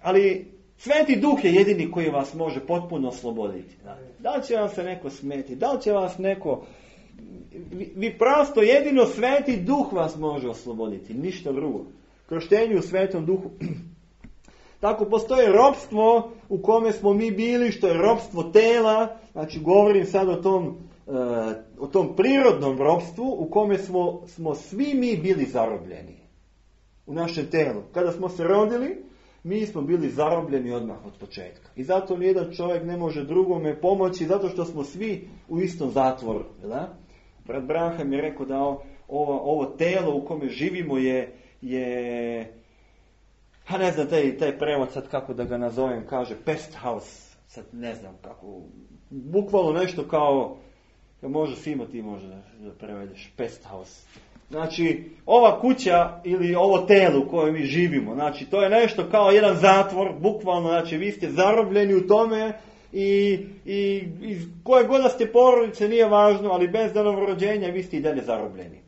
Ali Sveti Duh je jedini koji vas može potpuno osloboditi. Da li će vam se neko smeti, da li će vas neko... Vi prosto jedino Sveti Duh vas može osloboditi, ništa drugo. Krštenju u Svetom Duhu. Tako postoje ropstvo u kome smo mi bili, što je ropstvo tela, znači govorim sad o tom prirodnom ropstvu u kome smo svi mi bili zarobljeni u našem telu. Kada smo se rodili, mi smo bili zarobljeni odmah od početka. I zato nijedan čovjek ne može drugome pomoći, zato što smo svi u istom zatvoru. Da? Brat Branham je rekao da ovo telo u kome živimo je a ne znam, taj prevod sad kako da ga nazovem, kaže pest house, sad ne znam kako, bukvalno nešto kao, može Simo ti može da prevedeš, pest house. Znači, ova kuća ili ovo telo u kojem mi živimo, znači to je nešto kao jedan zatvor, bukvalno, znači vi ste zarobljeni u tome i iz koje god da ste porodice nije važno, ali bez novorođenja vi ste i dalje zarobljeni.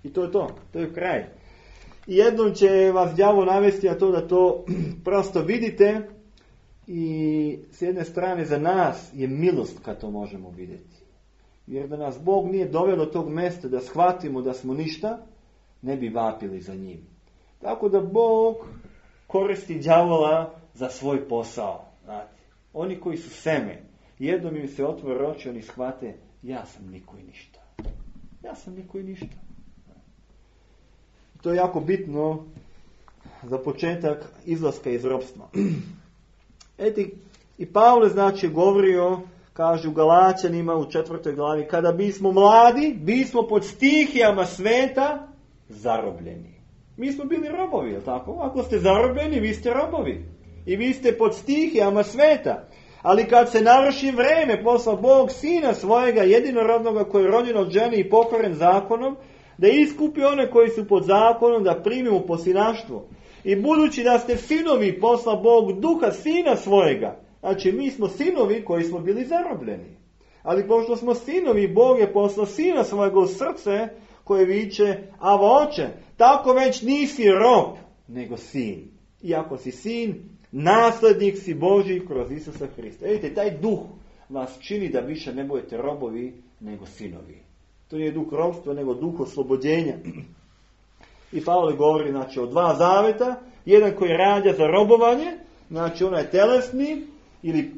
I to je kraj. I jednom će vas đavo navesti na to da to prosto vidite i s jedne strane za nas je milost kad to možemo vidjeti. Jer da nas Bog nije doveo do tog mjesta da shvatimo da smo ništa, ne bi vapili za njim. Tako da Bog koristi đavola za svoj posao. Znate, oni koji su seme, jednom im se otvore oči, oni shvate, ja sam niko i ništa. Ja sam niko i ništa. To je jako bitno za početak izlaska iz ropstva. I Pavle znači govorio, kaže u Galačanima u 4. glavi, kada bismo mladi, bismo pod stihijama sveta zarobljeni. Mi smo bili robovi, jel tako? Ako ste zarobljeni, vi ste robovi. I vi ste pod stihijama sveta. Ali kad se navrši vreme, poslao Bog sina svojega jedinorodnoga koji je rođen od žene i pokoren zakonom, da iskupi one koji su pod zakonom, da primimo posinaštvo. I budući da ste sinovi, posla Bog duha sina svojega. Znači, mi smo sinovi koji smo bili zarobljeni. Ali pošto smo sinovi, Bog je poslao sina svojega u srce koje viče, Ava oče, tako već nisi rob, nego sin. I ako si sin, naslednik si Božji kroz Isusa Hrista. Vidite, taj duh vas čini da više ne budete robovi, nego sinovi. To nije duh ropstva, nego duh oslobođenja. I Pavle govori, znači, o 2 zaveta. Jedan koji rađa za robovanje, znači onaj telesni, ili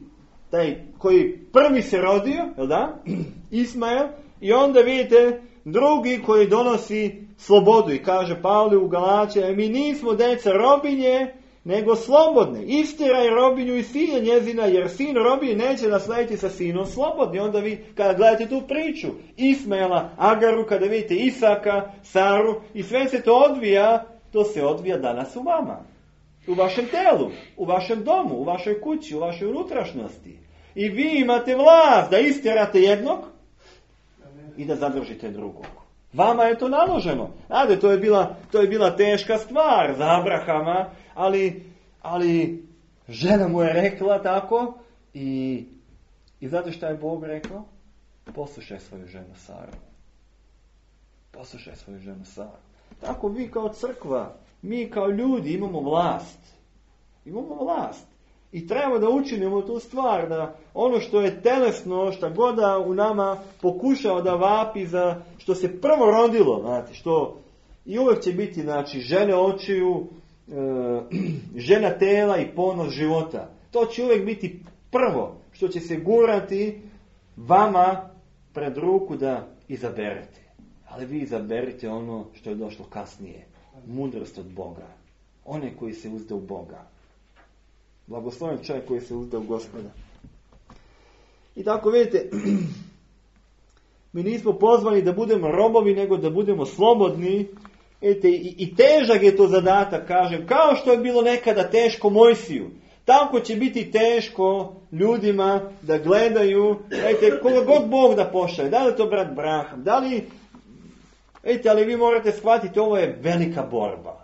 taj koji prvi se rodio, jel da? Ismael. I onda vidite drugi koji donosi slobodu. I kaže Pavle u Galačima, mi nismo deca robinje, nego slobodne. Istiraj robinju i sina njezina, jer sin robinje neće naslediti sa sinom slobodni. Onda vi, kada gledate tu priču, Ismaela, Agaru, kada vidite Isaka, Saru, i sve se to odvija, to se odvija danas u vama. U vašem telu, u vašem domu, u vašoj kući, u vašoj unutrašnjosti. I vi imate vlast da istirate jednog i da zadržite drugog. Vama je to naloženo. Znate, to je bila teška stvar za Abrahama, ali žena mu je rekla tako i znate šta je Bog rekao? Poslušaj svoju ženu Saru. Poslušaj svoju ženu Saru. Tako vi kao crkva, mi kao ljudi imamo vlast. Imamo vlast. I treba da učinimo tu stvar, da ono što je telesno, što god da u nama pokušava da vapi za što se prvo rodilo, znate, I uvijek će biti, znači, žene očiju, žena tela i ponos života. To će uvijek biti prvo što će se gurati vama pred ruku da izaberete. Ali vi izaberite ono što je došlo kasnije. Mudrost od Boga. One koji se uzde u Boga. Blagosloven čovjek koji se uzde u Gospoda. I tako vidite, mi nismo pozvani da budemo robovi, nego da budemo slobodni. I težak je to zadatak, kažem, kao što je bilo nekada teško Mojsiju. Tako će biti teško ljudima da gledaju, koga god Bog da pošalje, da li je to brat Braham, da li, ali vi morate shvatiti, ovo je velika borba.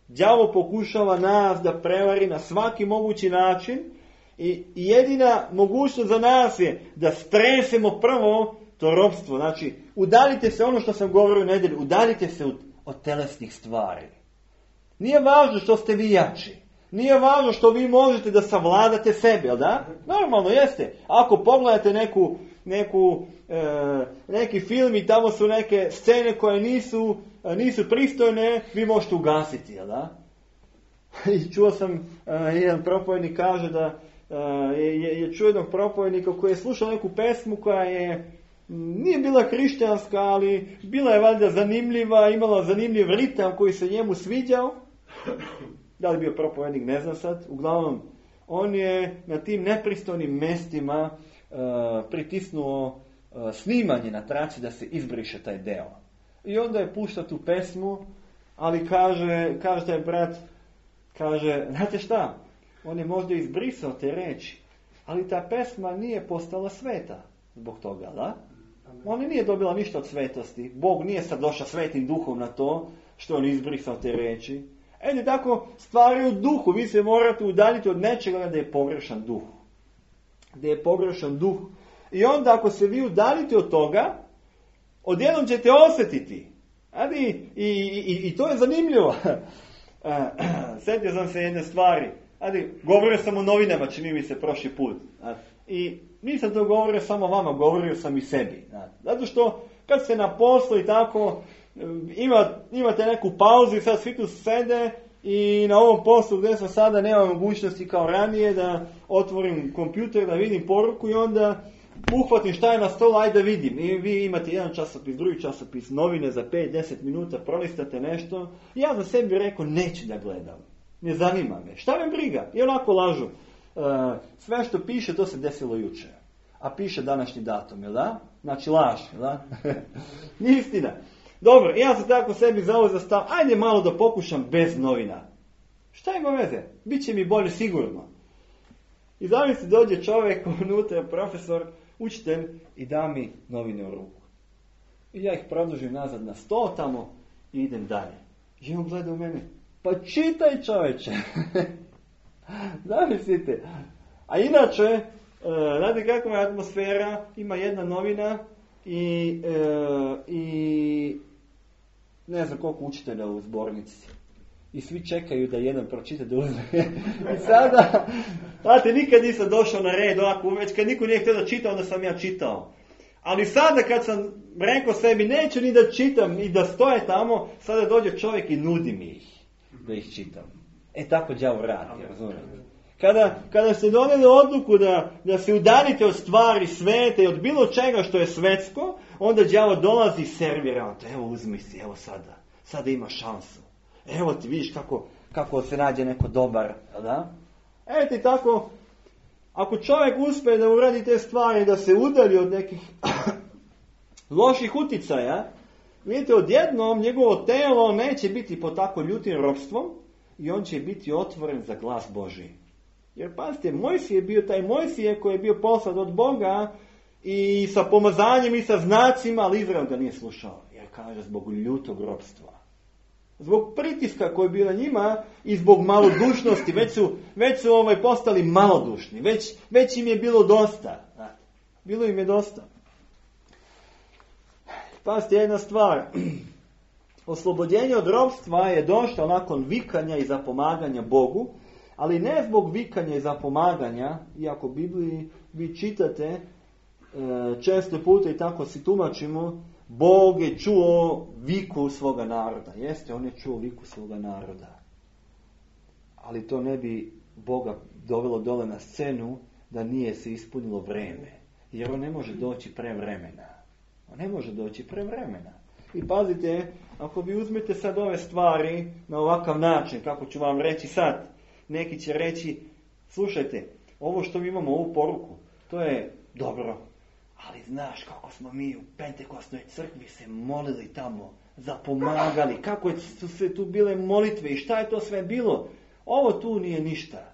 Đavo pokušava nas da prevari na svaki mogući način i jedina mogućnost za nas je da stresemo prvo to ropstvo. Znači, udaljite se, ono što sam govorio u nedjelju, udaljite se od telesnih stvari. Nije važno što ste vi jači. Nije važno što vi možete da savladate sebe, jel da? Normalno jeste. Ako pogledate neki film i tamo su neke scene koje nisu pristojne, vi možete ugasiti, jel da? I čuo sam, jedan propovednik kaže da je čuo jednog propovednika koji je slušao neku pesmu koja nije bila hrišćanska, ali bila je valjda zanimljiva, imala zanimljiv ritam koji se njemu sviđao. Da li bio propovednik, ne znam sad. Uglavnom, on je na tim nepristojnim mestima pritisnuo snimanje na traci da se izbriše taj deo. I onda je pušta tu pesmu, ali kaže taj brat, znate šta, on je možda izbrisao te reči, ali ta pesma nije postala sveta zbog toga, da? Ona nije dobila ništa od svetosti. Bog nije sad došao svetim duhom na to što on izbrisao te reči. Tako stvari u duhu. Vi se morate udaljiti od nečega da je pogrešan duh. Da je pogrešan duh. I onda ako se vi udaljite od toga, odjednom ćete osjetiti. I to je zanimljivo. Sjetio sam se jedne stvari. Govorio sam o novinama, čini mi se prošli put. I nisam to govorio samo vama, govorio sam i sebi. Zato što kad se na poslu i tako, imate neku pauzu i sad svi tu sede i na ovom poslu gdje sam sada nema mogućnosti kao ranije da otvorim kompjuter, da vidim poruku i onda uhvatim šta je na stolu, ajde da vidim. I vi imate jedan časopis, drugi časopis, novine za 5-10 minuta, prolistate nešto. I ja za sebi rekao, neću da gledam. Ne zanima me. Šta me briga? I onako lažu. Sve što piše, to se desilo jučer. A piše današnji datum, jel da? Znači laž, jel da? Nije istina. Dobro, ja sam tako sebi zauzeo stav, ajde malo da pokušam bez novina. Šta ima veze? Biće mi bolje sigurno. I zamisli dođe čovjek unutra, profesor, učitelj i da mi novine u ruku. I ja ih produžim nazad na sto tamo i idem dalje. I on gleda u mene, pa čitaj čovječe. Zamislite. A inače, znate kakva je atmosfera, ima jedna novina i ne znam koliko učitelja u zbornici. I svi čekaju da jedan pročita da uzme. I sada, znate, nikad nisam došao na red ovako, već kad niko nije htio da čita, onda sam ja čitao. Ali sada kad sam rekao sebi, neću ni da čitam i da stoje tamo, sada dođe čovjek i nudi mi ih da ih čitam. Tako đavo radi, razumijete? Kada ste donijeli odluku da se udaljite od stvari svete i od bilo čega što je svetsko, onda đavo dolazi i servira. Evo uzmi si, evo sada ima šansu. Evo ti vidiš kako se nađe neko dobar, da? Evo ti tako, ako čovjek uspije da uradi te stvari, da se udalji od nekih loših uticaja, vidite, odjednom njegovo telo neće biti pod tako ljutim ropstvom i on će biti otvoren za glas Božji. Jer pazite, Mojsije je bio taj Mojsije koji je bio poslan od Boga i sa pomazanjem i sa znacima, ali Izrael ga nije slušao. Jer kaže zbog ljutog ropstva. Zbog pritiska koji je bio na njima i zbog malodušnosti, već su postali malodušni, već im je bilo dosta. Bilo im je dosta. Pazite, jedna stvar. Oslobođenje od ropstva je došlo nakon vikanja i zapomaganja Bogu, ali ne zbog vikanja i zapomaganja, iako u Bibliji vi čitate često puta i tako si tumačimo, Bog je čuo viku svoga naroda. Jeste, on je čuo viku svoga naroda. Ali to ne bi Boga dovelo dole na scenu da nije se ispunilo vreme. Jer on ne može doći prevremena. On ne može doći prevremena. I pazite, ako vi uzmete sad ove stvari na ovakav način, kako ću vam reći sad, neki će reći, slušajte, ovo što mi imamo, ovu poruku, to je dobro, ali znaš kako smo mi u Pentekostnoj crkvi se molili tamo, zapomagali, kako su se tu bile molitve i šta je to sve bilo, ovo tu nije ništa.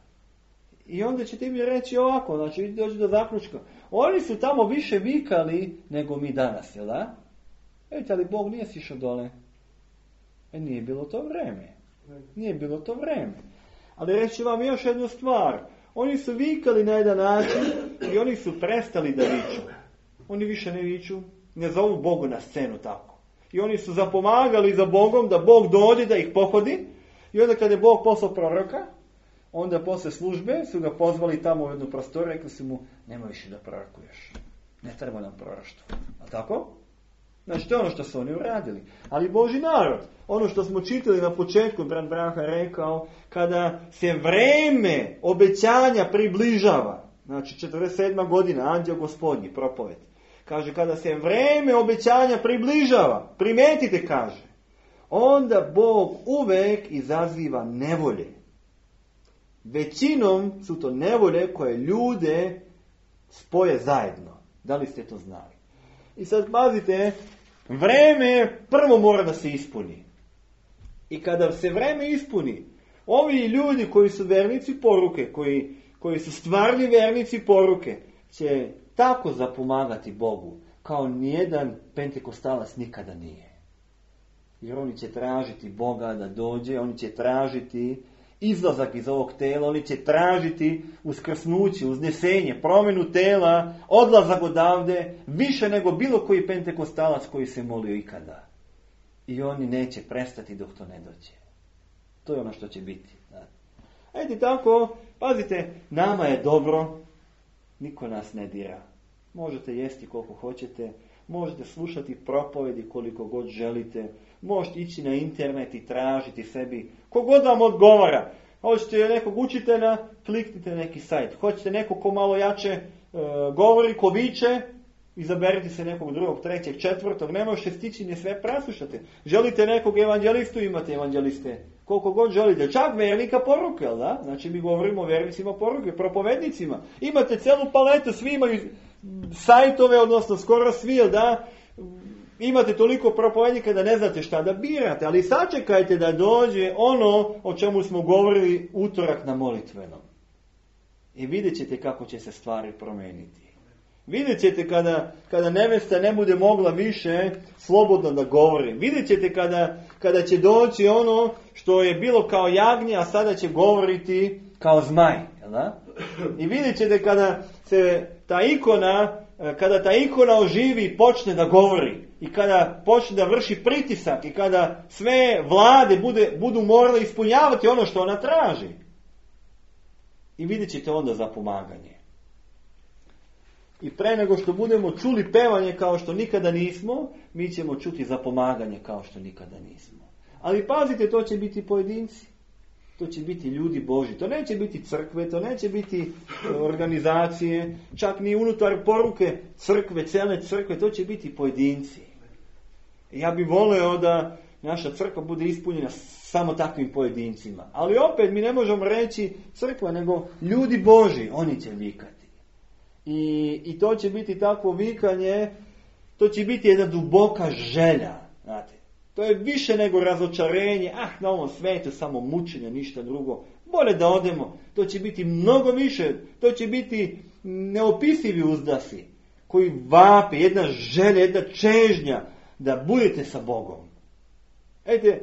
I onda ćete mi reći ovako, znači dođi do zaključka, oni su tamo više vikali nego mi danas, jel da? Vidite, ali Bog nije sišao dole. Nije bilo to vreme. Nije bilo to vreme. Ali reći vam još jednu stvar. Oni su vikali na jedan način i oni su prestali da viču. Oni više ne viču, ne zovu Bogu na scenu tako. I oni su zapomagali za Bogom da Bog dođe da ih pohodi. I onda kada je Bog poslao proroka, onda posle službe su ga pozvali tamo u jednu prostoriju, rekli su mu, nemoj više da prorokuješ. Ne treba nam proroštvo. A tako? Znači, to je ono što su oni uradili. Ali Božji narod, ono što smo čitali na početku, brat Branha rekao, kada se vreme obećanja približava, znači 47. godina, anđeo gospodnji, propoved, kaže, kada se vreme obećanja približava, primetite, kaže, onda Bog uvek izaziva nevolje. Većinom su to nevolje koje ljude spoje zajedno. Da li ste to znali? I sad pazite, vreme prvo mora da se ispuni. I kada se vreme ispuni, ovi ljudi koji su vernici poruke, koji su stvarni vernici poruke, će tako zapomagati Bogu, kao nijedan pentekostalac nikada nije. Jer oni će tražiti Boga da dođe, oni će tražiti izlazak iz ovog tela, oni će tražiti uskrsnuće, uznesenje, promjenu tela, odlazak odavde, više nego bilo koji pentekostalac koji se molio ikada. I oni neće prestati dok to ne dođe. To je ono što će biti. Ajde tako, pazite, nama je dobro, niko nas ne dira. Možete jesti koliko hoćete, možete slušati propovedi koliko god želite, možete ići na internet i tražiti sebi kogod vam odgovara. Hoćete nekog učitelja, kliknite neki sajt. Hoćete nekog ko malo jače govori, ko viče, izaberite se nekog drugog, trećeg, četvrtog, ne možete stići ni sve preslušati. Želite nekog evanđelistu, imate evanđeliste. Koliko god želite. Čak vernika poruke, jel da? Znači mi govorimo o vernicima poruke, propovednicima. Imate celu paletu, svi imaju sajtove, odnosno skoro svi, jel da? Imate toliko propovednika da ne znate šta da birate, ali sačekajte da dođe ono o čemu smo govorili utorak na molitvenom. I vidjet ćete kako će se stvari promijeniti. Vidjet ćete kada nevesta ne bude mogla više slobodno da govori. Vidjet ćete kada će doći ono što je bilo kao jagnje, a sada će govoriti kao zmaj. Jel da? I vidjet ćete kada ta ikona oživi i počne da govori. I kada počne da vrši pritisak. I kada sve vlade budu morale ispunjavati ono što ona traži. I vidjet ćete onda zapomaganje. I pre nego što budemo čuli pevanje kao što nikada nismo, mi ćemo čuti zapomaganje kao što nikada nismo. Ali pazite, to će biti pojedinci. To će biti ljudi Božji. To neće biti crkve, to neće biti organizacije, čak ni unutar poruke crkve, cele crkve, to će biti pojedinci. Ja bih voleo da naša crkva bude ispunjena samo takvim pojedincima. Ali opet mi ne možemo reći crkva, nego ljudi Božji, oni će vikati. I to će biti takvo vikanje, to će biti jedna duboka želja, znate. To je više nego razočarenje, na ovom svetu samo mučenje, ništa drugo. Bolje da odemo, to će biti mnogo više, to će biti neopisivi uzdasi, koji vape, jedna želja, jedna čežnja da budete sa Bogom. Ejte,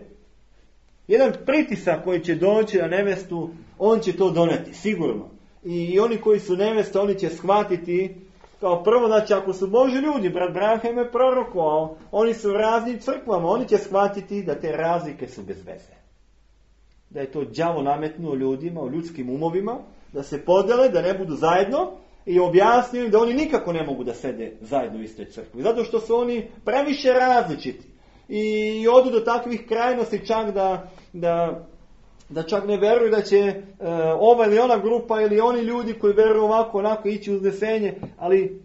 jedan pritisak koji će doći na nevestu, on će to doneti, sigurno. I oni koji su nevesta, oni će shvatiti, kao prvo, znači ako su Božji ljudi, brat Branham je prorokovao, oni su u raznim crkvama, oni će shvatiti da te razlike su bez veze. Da je to đavo nametnuo ljudima, u ljudskim umovima, da se podele, da ne budu zajedno, i objasnio im da oni nikako ne mogu da sede zajedno u istoj crkvi. Zato što su oni previše različiti. I odu do takvih krajnosti čak da čak ne veruju da će ova ili ona grupa ili oni ljudi koji veruju ovako, onako ići u uznesenje, ali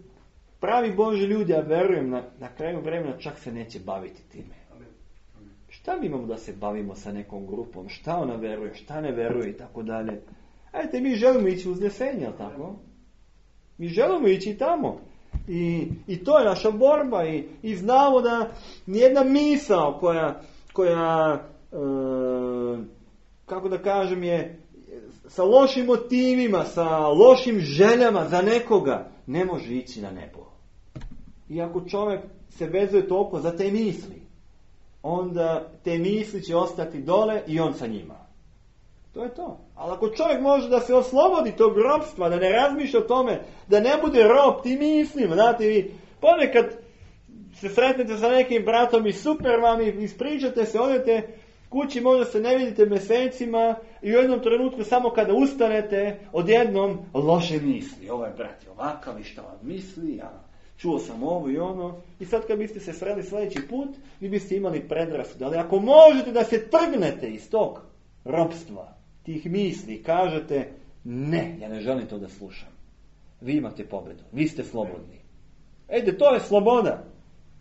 pravi Božji ljudi, ja verujem, na kraju vremena čak se neće baviti time. Šta mi imamo da se bavimo sa nekom grupom? Šta ona veruje, šta ne veruje i tako dalje. Ajde, mi želimo ići u uznesenje, jel tako? Mi želimo ići tamo. I to je naša borba. I znamo da nijedna misao koja kako da kažem, je sa lošim motivima, sa lošim željama za nekoga, ne može ići na nebo. I ako čovjek se vezuje toliko za te misli, onda te misli će ostati dole i on sa njima. To je to. Ali ako čovjek može da se oslobodi tog ropstva, da ne razmišlja o tome, da ne bude rob tim mislima, znate, vi ponekad se sretnete sa nekim bratom i super vam i ispričate se, odete kući, možda se ne vidite mjesecima i u jednom trenutku samo kada ustanete, odjednom loše misli. Ovaj brat je ovakav i što on misli, ja čuo sam ovo i ono. I sad kad biste se sreli sljedeći put, vi biste imali predrasud. Ali ako možete da se trgnete iz tog ropstva, tih misli, kažete ne, ja ne želim to da slušam. Vi imate pobjedu, vi ste slobodni. Ejde, to je sloboda.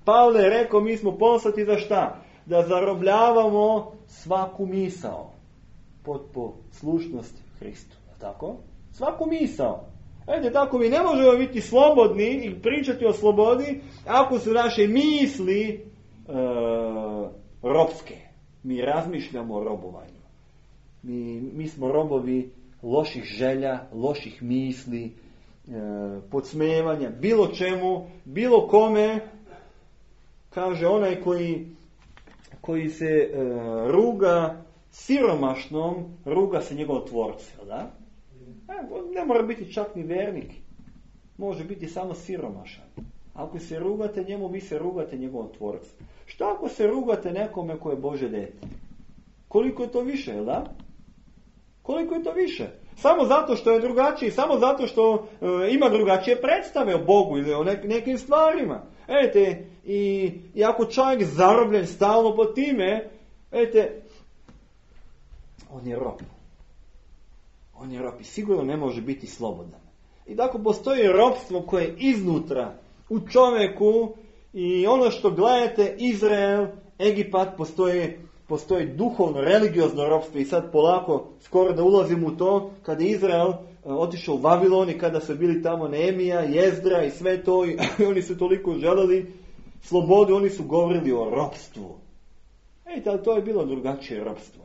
Pavle je rekao, mi smo poslati za šta? Da zarobljavamo svaku misao pod poslušnost Hristu. Tako? Svaku misao. Ejde, tako mi ne možemo biti slobodni i pričati o slobodi ako su naše misli robske. Mi razmišljamo o robovanju. Mi smo robovi loših želja, loših misli, podsmevanja, bilo čemu, bilo kome. Kaže onaj koji se ruga siromašnom, ruga se njegov tvorcu, da? Ne mora biti čak ni vernik. Može biti samo siromašan. Ako se rugate njemu, vi se rugate njegovom tvorcu. Šta ako se rugate nekome koje je Bože dete? Koliko je to više, jel da? Koliko je to više? Samo zato što je drugačiji, samo zato što ima drugačije predstave o Bogu ili o nekim stvarima. Vidite, i ako čovjek zarobljen stalno po time, vidite, on je rob. On je rob i sigurno ne može biti slobodan. I tako postoji robstvo koje je iznutra u čovjeku i ono što gledate, Izrael, Egipat, postoji duhovno, religiozno robstvo i sad polako skoro da ulazim u to kada je Izrael otišao u Vavilon i kada su bili tamo Nehemija, Jezdra i sve to i oni su toliko želeli slobodu, oni su govorili o robstvu. Ali to je bilo drugačije robstvo.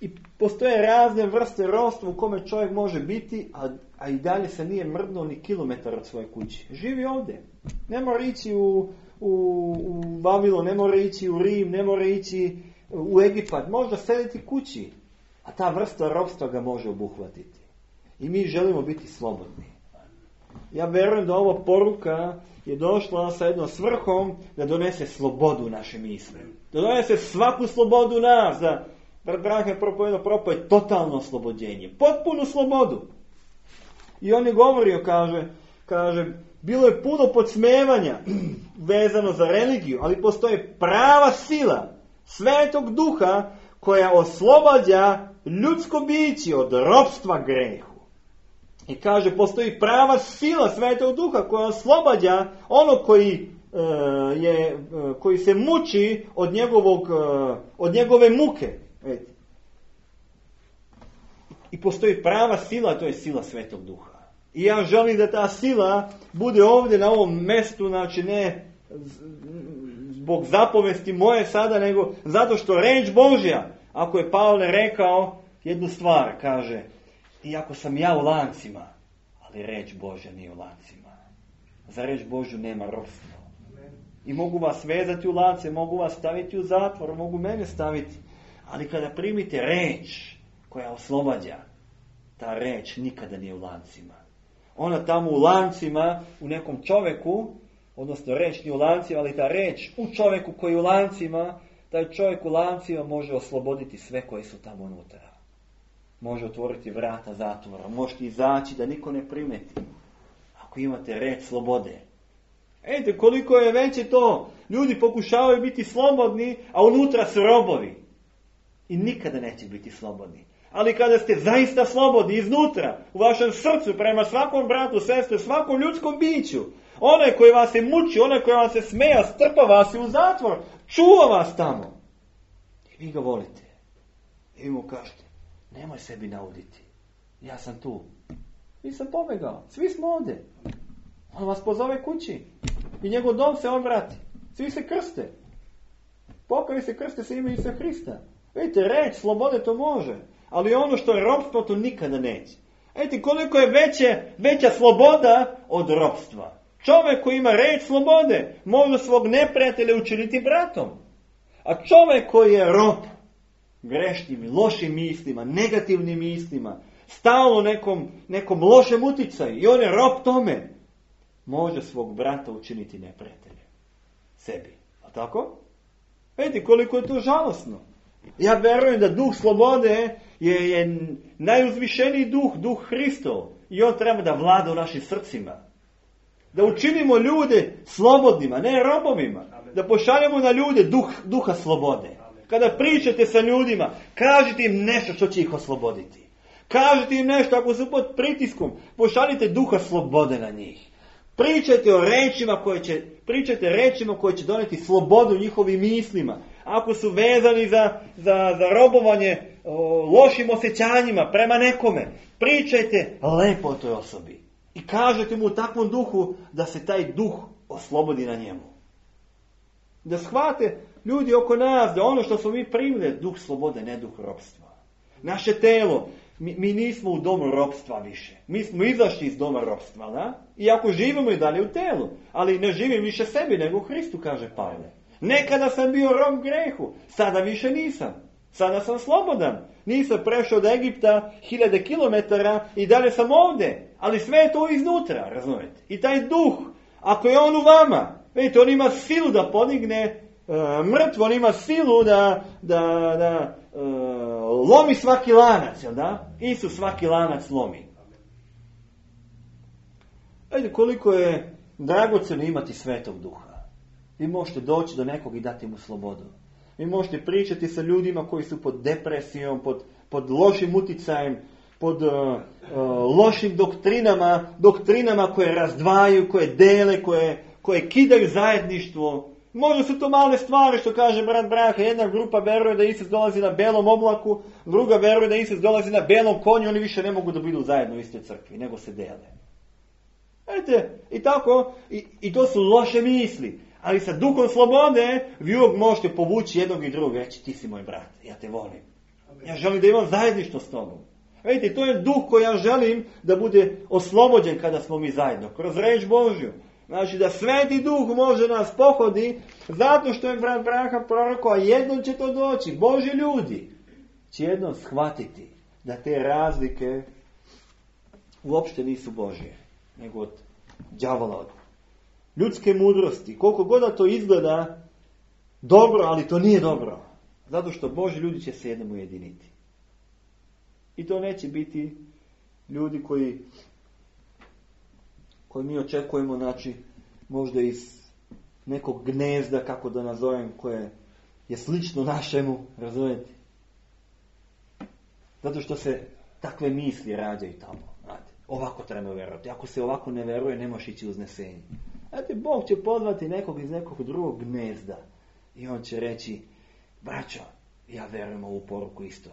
I postoje razne vrste robstva u kome čovjek može biti, a i dalje se nije mrdnuo ni kilometar od svoje kuće. Živi ovdje. Ne mora ići u Vavilon, ne mora ići u Rim, ne mora ići u Egipat. Možda sediti kući, a ta vrsta robstva ga može obuhvatiti. I mi želimo biti slobodni. Ja vjerujem da ova poruka je došla sa jednom svrhom da donese slobodu u naše misli. Da donese svaku slobodu u nas. Da Brahme propoje totalno oslobođenje. Potpunu slobodu. I on je govorio, kaže, bilo je puno podsmevanja vezano za religiju, ali postoji prava sila Svetog Duha koja oslobađa ljudsko biće od ropstva grehu. I kaže, postoji prava sila Svetog Duha koja oslobađa ono koji se muči od njegove muke. I postoji prava sila, to je sila Svetog Duha. I ja želim da ta sila bude ovdje na ovom mjestu, znači ne zbog zapovesti moje sada, nego zato što reč Božja, ako je Pavle rekao jednu stvar, kaže, iako sam ja u lancima, ali reč Božja nije u lancima. Za reč Božju nema ropstva. I mogu vas vezati u lance, mogu vas staviti u zatvor, mogu mene staviti. Ali kada primite reč koja oslobađa, ta reč nikada nije u lancima. Ona tamo u lancima, u nekom čovjeku, odnosno reč nije u lancima, ali ta reč u čovjeku koji je u lancima, taj čovjek u lancima može osloboditi sve koji su tamo unutra. može otvoriti vrata zatvora. Možete izaći da niko ne primeti. Ako imate reč slobode. Vidite koliko je veće to. Ljudi pokušavaju biti slobodni, a unutra su robovi. I nikada neće biti slobodni. Ali kada ste zaista slobodni iznutra, u vašem srcu, prema svakom bratu, sestri, svakom ljudskom biću, onaj koji vas je muči, onaj koji vas se smeja, strpa vas u zatvor, čuva vas tamo. I vi ga volite. I vi mu kažete, nemoj sebi nauditi. Ja sam tu. Nisam pobegao. Svi smo ovdje. On vas pozove kući. I njegov dom se obrati. Svi se krste. Pokavi se krste se ime Isusa Hrista. Vidite, reč slobode to može. Ali ono što je ropstvo to nikada neće. Vidite koliko je veća sloboda od ropstva. Čovjek koji ima reč slobode može svog neprijatelja učiniti bratom. A čovjek koji je rob grešnim, lošim mislima, negativnim mislima, stalno nekom lošem uticaju i on je rob tome, može svog brata učiniti neprijateljem. Sebi. A tako? Vidite koliko je to žalosno. Ja vjerujem da duh slobode je najuzvišeniji duh Hristov. I on treba da vlada u našim srcima. Da učinimo ljude slobodnima, ne robovima. Da pošaljemo na ljude duha slobode. Kada pričate sa ljudima, kažite im nešto što će ih osloboditi. Kažite im nešto ako su pod pritiskom, pošaljite duha slobode na njih. Pričajte rečima koje će doneti slobodu njihovim mislima. Ako su vezani za robovanje lošim osjećanjima prema nekome, pričajte lepo o toj osobi. I kažete mu u takvom duhu da se taj duh oslobodi na njemu. Da shvate ljudi oko nas da ono što smo mi primili duh slobode, ne duh ropstva. Naše telo, mi nismo u domu ropstva više. Mi smo izašli iz doma ropstva, da? Iako živimo i dalje u telu. Ali ne živim više sebi nego u Hristu, kaže Pavle. Nekada sam bio rob grehu, sada više nisam. Sada sam slobodan. Nisam prešao do Egipta 1000 kilometara i dalje sam ovdje. Ali sve je to iznutra, razumijete? I taj duh, ako je on u vama, vidite, on ima silu da podigne mrtvo, on ima silu da lomi svaki lanac, jel da? Isus svaki lanac lomi. Vidite koliko je dragocjeno imati Svetog Duha. Vi možete doći do nekog i dati mu slobodu. Vi možete pričati sa ljudima koji su pod depresijom, pod lošim uticajem, pod lošim doktrinama koje razdvajaju, koje dele, koje kidaju zajedništvo. Možda su to male stvari što kaže brat Braha. Jedna grupa veruje da Isus dolazi na belom oblaku, druga veruje da Isus dolazi na belom konju, oni više ne mogu da budu zajedno u istoj crkvi, nego se dele. Vidite, i tako, i to su loše misli. Ali sa duhom slobode vi uvijek možete povući jednog i drugog, reći ti si moj brat, ja te volim. Ja želim da imam zajedništvo s tobom. Vidite, to je duh koji ja želim da bude oslobođen kada smo mi zajedno, kroz reč Božju. Znači da Sveti Duh može nas pohodi, zato što je brat Braha prorokao, a jednom će to doći. Božji ljudi će jednom shvatiti da te razlike uopšte nisu Božje, nego od đavola, od ljudske mudrosti. Koliko god da to izgleda dobro, ali to nije dobro. Zato što Božji ljudi će se jednom ujediniti. I to neće biti ljudi koji mi očekujemo, znači, možda iz nekog gnezda, kako da nazovem, koje je slično našemu, razumijete? Zato što se takve misli rađaju tamo. Znate, ovako treba vjerovati. Ako se ovako ne vjeruje, ne možeš ići uznesenje. Znate, Bog će pozvati nekog iz nekog drugog gnezda. I on će reći, braćo, ja vjerujem ovu poruku isto.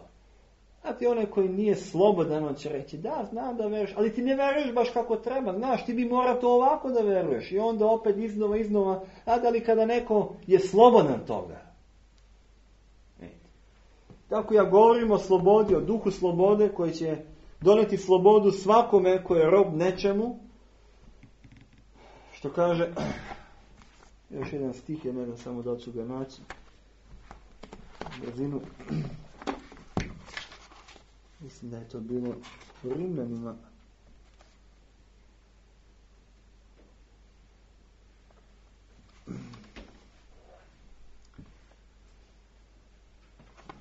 Znate, onaj koji nije slobodan, on će reći, da, znam da veruješ, ali ti ne veruješ baš kako treba, znaš, ti bi morao to ovako da veruješ. I onda opet iznova, ali kada neko je slobodan toga. Tako ja govorim o slobodi, o duhu slobode koji će doneti slobodu svakome koji je rob nečemu. Što kaže, još jedan stih je, ne znam samo da ću ga naći, brzinu. Mislim da je to bilo u Rimljanima.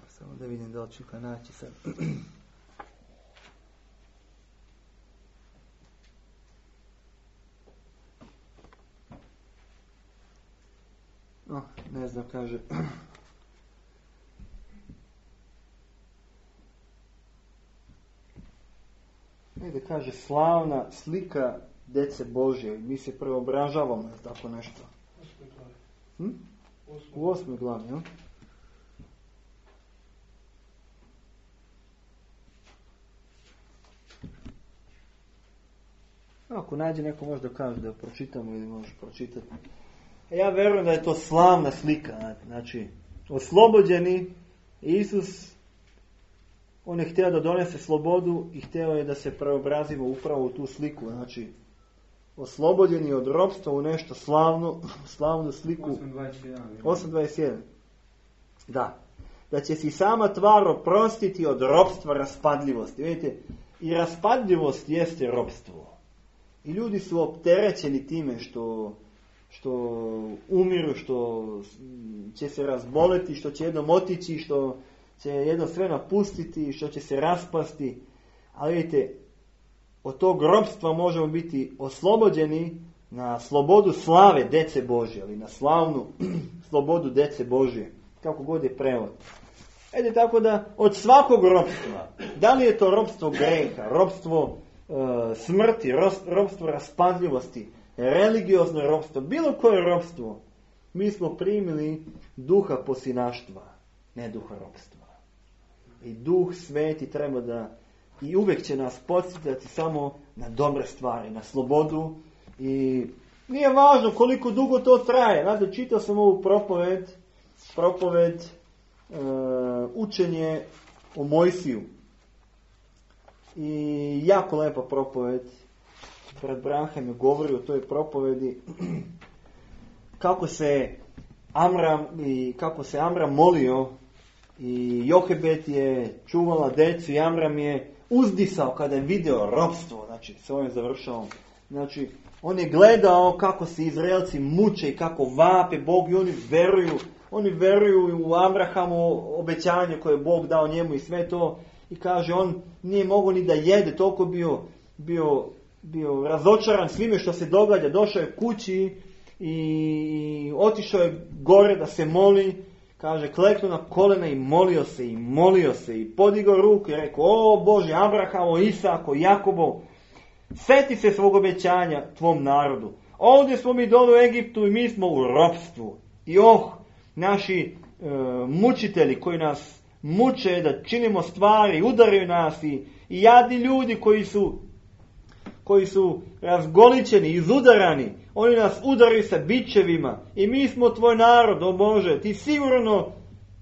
Samo da vidim da li ću ga naći sad. ne znam, kaže. Negdje kaže slavna slika djece Božje. Mi se preobražavamo, tako nešto. U 8. glavi, ja? Ako nađe neko možda kaže da pročitamo ili možeš pročitati. Ja vjerujem da je to slavna slika. Znači, oslobođeni Isus, on je htio da donese slobodu i htio je da se preobrazimo upravo u tu sliku. Znači, oslobođeni od ropstva u nešto slavnu sliku. 8.21. Da. Da će si sama tvar oprostiti od ropstva raspadljivosti. Vidite, i raspadljivost jeste ropstvo. I ljudi su opterećeni time što umiru, što će se razboleti, što će jednom otići, što će jedno sve napustiti, što će se raspasti. Ali vidite, od tog ropstva možemo biti oslobođeni na slobodu slave dece Božje, ali na slavnu slobodu dece Božje, kako god je prevod. Tako da od svakog ropstva, da li je to ropstvo greha, ropstvo smrti, ropstvo raspadljivosti, religiozno ropstvo, bilo koje ropstvo, mi smo primili duha posinaštva, ne duha ropstva. I Duh Sveti treba da i uvijek će nas podsjetiti samo na dobre stvari, na slobodu, i nije važno koliko dugo to traje. Znate, čitao sam ovu propovet učenje o Mojsiju. I jako lepa propoved. Brat Branham je govorio o toj propovedi kako se Amram molio i Johebed je čuvala decu i Amram je uzdisao kada je video ropstvo. Znači, s ovim završavam. Znači, on je gledao kako se Izraelci muče i kako vape Bog i oni veruju u Abrahamu obećanje koje je Bog dao njemu i sve to. I kaže, on nije mogao ni da jede, toliko bio razočaran svime što se događa. Došao je kući i otišao je gore da se moli. Kaže, kleknuo na kolena i molio se i podigao ruku i rekao, o Bože, Abrahamo, Isako, Jakobo, seti se svog obećanja tvom narodu. Ovdje smo mi dole u Egiptu i mi smo u ropstvu. I naši mučitelji koji nas muče da činimo stvari, udaraju nas i jadni ljudi koji su razgoličeni, izudarani, oni nas udaraju sa bičevima i mi smo tvoj narod, o Bože,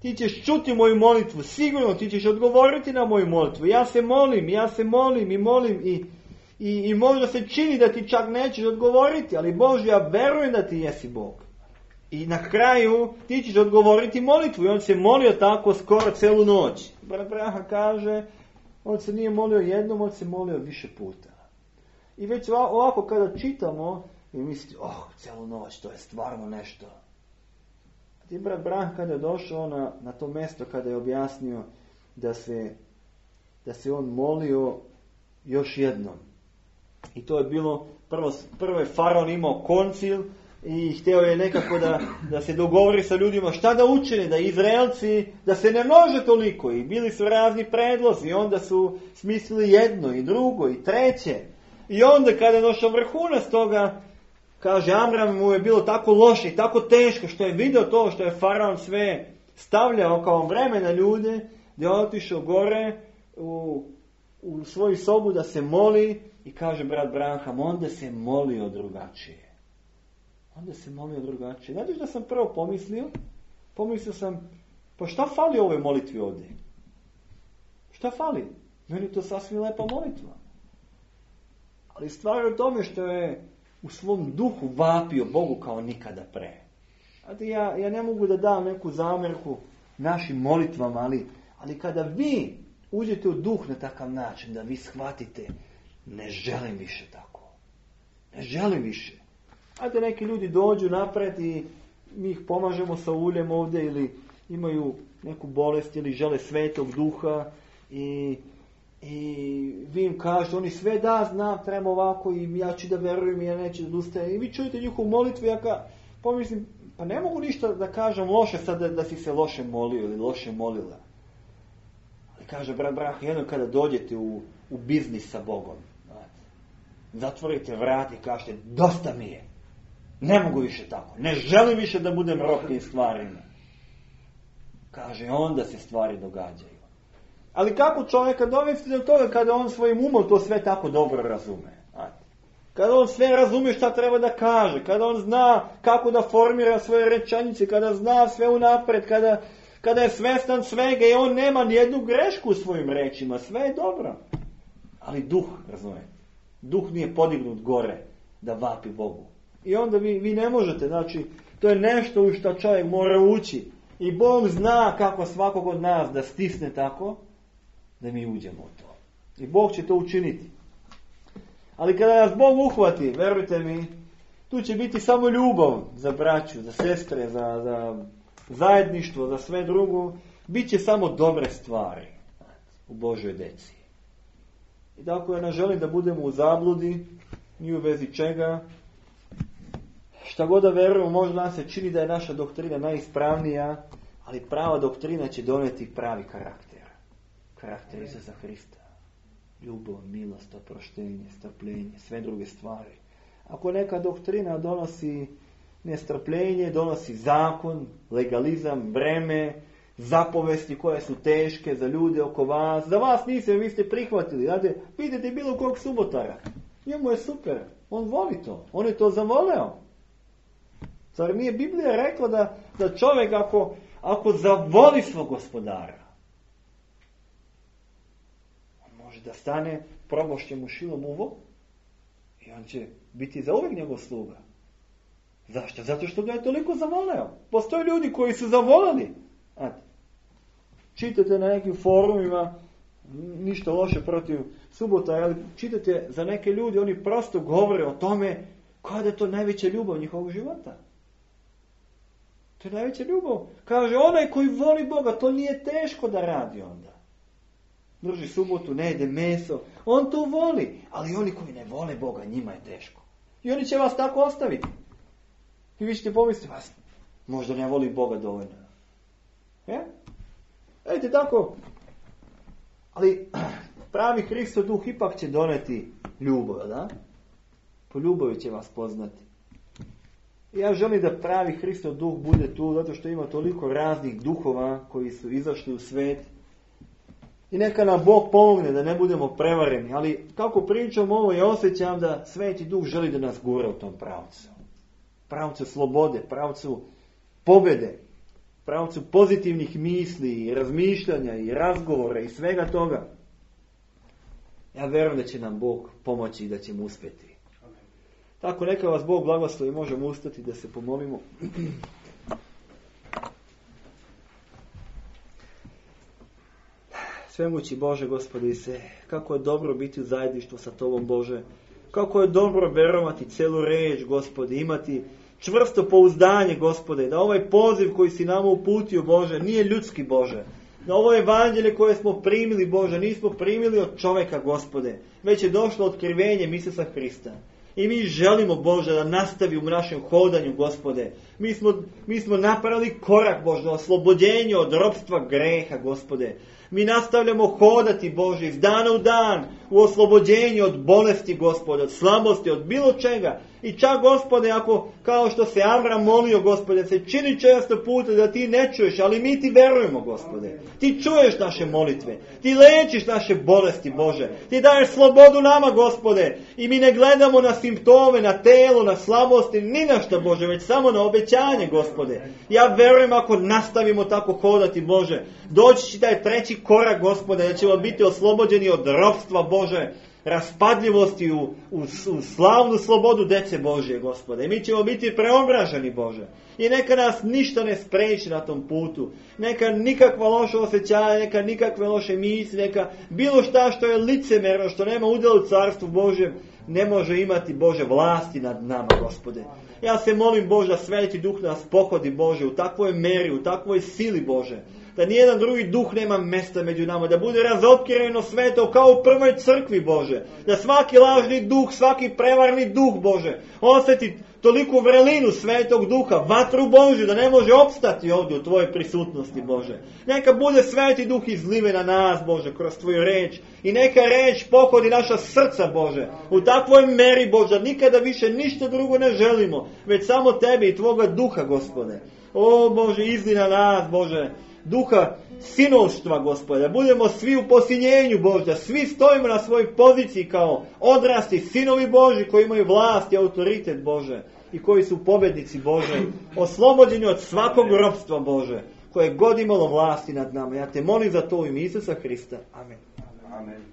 ti ćeš čuti moju molitvu, sigurno ti ćeš odgovoriti na moju molitvu. Ja se molim i možda se čini da ti čak nećeš odgovoriti, ali Bože, ja verujem da ti jesi Bog. I na kraju ti ćeš odgovoriti molitvu. I on se molio tako skoro celu noć. Brat Branham kaže, on se nije molio jednom, on se molio više puta. I već ovako kada čitamo, i mislite, celu noć, to je stvarno nešto. A ti brat Branham kada je došao na to mjesto, kada je objasnio da se on molio još jednom. I to je bilo, prvo je faraon imao koncil, i htio je nekako da se dogovori sa ljudima šta da učine, da Izraelci, da se ne množe toliko. I bili su razni predlozi, i onda su smislili jedno i drugo i treće. I onda kada je došao vrhunac toga, kaže, Amram mu je bilo tako loše i tako teško što je vidio to što je faraon sve stavljao kao vreme na ljude, da je otišao gore u svoju sobu da se moli i kaže brat Branham, onda se molio drugačije. Znate da sam prvo pomislio sam, pa šta fali ovoj molitvi ovdje? Šta fali? Meni je to sasvim lepa molitva. Ali stvar je u tome što je u svom duhu vapio Bogu kao nikada pre. Znate, ja ne mogu da dam neku zamjerku našim molitvama, ali kada vi uđete u duh na takav način, da vi shvatite, ne želim više tako. Ne želim više. Znate, neki ljudi dođu napred i mi ih pomažemo sa uljem ovdje ili imaju neku bolest ili žele svetog duha i vi im kažete, oni sve znam, treba ovako i ja ću da verujem i ja neću da odustajem. I vi čujete njihovu molitvu, ja pomislim, Pa ne mogu ništa da kažem loše sad da si se loše molio ili loše molila. Ali kaže brat Brah, jedno kada dođete u biznis sa Bogom, zatvorite vrat i kažete, dosta mi je. Ne mogu više tako. Ne želim više da budem rob tim stvarima. Kaže, onda se stvari događaju. Ali kako čovjeka dovesti do toga kada on svojim umom to sve tako dobro razume? Kada on sve razumije šta treba da kaže, kada on zna kako da formira svoje rečenice, kada zna sve unapred, kada je svestan svega i on nema nijednu grešku u svojim rečima, sve je dobro. Ali duh, razumijete, duh nije podignut gore da vapi Bogu. I onda vi ne možete, znači, to je nešto u što čovjek mora ući. I Bog zna kako svakog od nas da stisne tako, da mi uđemo u to. I Bog će to učiniti. Ali kada nas Bog uhvati, verujte mi, tu će biti samo ljubav za braću, za sestre, za zajedništvo, za sve drugo. Biće samo dobre stvari u Božoj deci. I tako ja ne želim da budemo u zabludi, ni u vezi čega. Šta god da verujemo, možda nam se čini da je naša doktrina najispravnija, ali prava doktrina će doneti pravi karakter. Karakter Isusa Hrista. Ljubav, milost, oproštenje, strpljenje, sve druge stvari. Ako neka doktrina donosi nestrpljenje, donosi zakon, legalizam, breme, zapovesti koje su teške za ljude oko vas, za vas niste, vi ste prihvatili. Znate, vidite bilo kog subotara. Njemu je super, on voli to, on je to zavoleo. Zar nije Biblija rekla da čovjek ako zavoli svog gospodara, on može da stane, probošće mu šilom uvo i on će biti zauvijek njegov sluga. Zašto? Zato što ga je toliko zavoleo. Postoje ljudi koji su zavoleli. Čitate na nekim forumima, ništa loše protiv subota, ali čitate za neke ljudi, oni prosto govore o tome kada je to najveća ljubav njihovog života. To je najveća ljubav. Kaže, onaj koji voli Boga, to nije teško da radi onda. Drži subotu, ne jede meso. On to voli, ali oni koji ne vole Boga, njima je teško. I oni će vas tako ostaviti. I vi ćete pomisliti, vas možda ne voli Boga dovoljno. Vidite tako. Ali pravi Hristov duh ipak će doneti ljubav, da? Po ljubavi će vas poznati. I ja želim da pravi Hristov duh bude tu, zato što ima toliko raznih duhova koji su izašli u svet. I neka nam Bog pomogne da ne budemo prevareni. Ali kako pričam ovo, ja osjećam da Sveti Duh želi da nas gura u tom pravcu. Pravcu slobode, pravcu pobjede, pravcu pozitivnih misli i razmišljanja i razgovora i svega toga. Ja vjerujem da će nam Bog pomoći i da ćemo uspjeti. Tako neka vas Bog blagoslovi, možemo ustati da se pomolimo. Svemoći Bože, Gospode Ise, kako je dobro biti u zajedništvu sa Tobom, Bože. Kako je dobro verovati celu reč, Gospode, imati čvrsto pouzdanje, Gospode, da ovaj poziv koji si nama uputio, Bože, nije ljudski, Bože. Da ovo evanđelje koje smo primili, Bože, nismo primili od čovjeka, Gospode, već je došlo otkrivenjem Isusa Hrista. I mi želimo, Bože, da nastavimo u našem hodanju, Gospode. Mi smo napravili korak, Bože, oslobođenje od ropstva greha, Gospode. Mi nastavljamo hodati, Bože, iz dana u dan, u oslobođenju od bolesti, Gospode, od slabosti, od bilo čega. I čak, Gospode, ako, kao što se Amram molio, Gospode, se čini često puta da ti ne čuješ, ali mi ti verujemo, Gospode. Ti čuješ naše molitve, ti lečiš naše bolesti, Bože. Ti daješ slobodu nama, Gospode. I mi ne gledamo na simptome, na telo, na slabosti, ni na što, Bože, već samo na obećanje, Gospode. Ja verujem ako nastavimo tako hodati, Bože, doći će taj treći korak, Gospode, da ćemo biti oslobođeni od ropstva, Bože, raspadljivosti u slavnu slobodu dece Božje, Gospode. I mi ćemo biti preobraženi, Bože. I neka nas ništa ne spreči na tom putu. Neka nikakva loša osjećanja, neka nikakve loše misli, neka bilo šta što je licemerno, što nema udjela u carstvu Božjem, ne može imati, Bože, vlasti nad nama, Gospode. Ja se molim, Bože, da Sveti Duh nas pohodi, Bože, u takvoj meri, u takvoj sili, Bože, da nijedan drugi duh nema mjesta među nama, da bude razotkriveno sveto kao u prvoj crkvi, Bože, da svaki lažni duh, svaki prevarni duh, Bože, osjeti toliku vrelinu svetog duha, vatru Božju, da ne može opstati ovdje u Tvojoj prisutnosti, Bože. Neka bude sveti duh izlive na nas, Bože, kroz Tvoju reč, i neka reč pohodi naša srca, Bože, u takvoj meri, Bože, nikada više ništa drugo ne želimo, već samo Tebe i Tvoga duha, Gospode. O Bože, izli na nas, Bože, duha sinovštva, Gospode, da budemo svi u posinjenju, Bože, da svi stojimo na svojoj poziciji kao odrasli sinovi Boži koji imaju vlast i autoritet, Bože, i koji su pobjednici, Bože, oslobođeni od svakog ropstva, Bože, koje god imalo vlasti nad nama. Ja te molim za to u ime Isusa Hrista. Amen. Amen.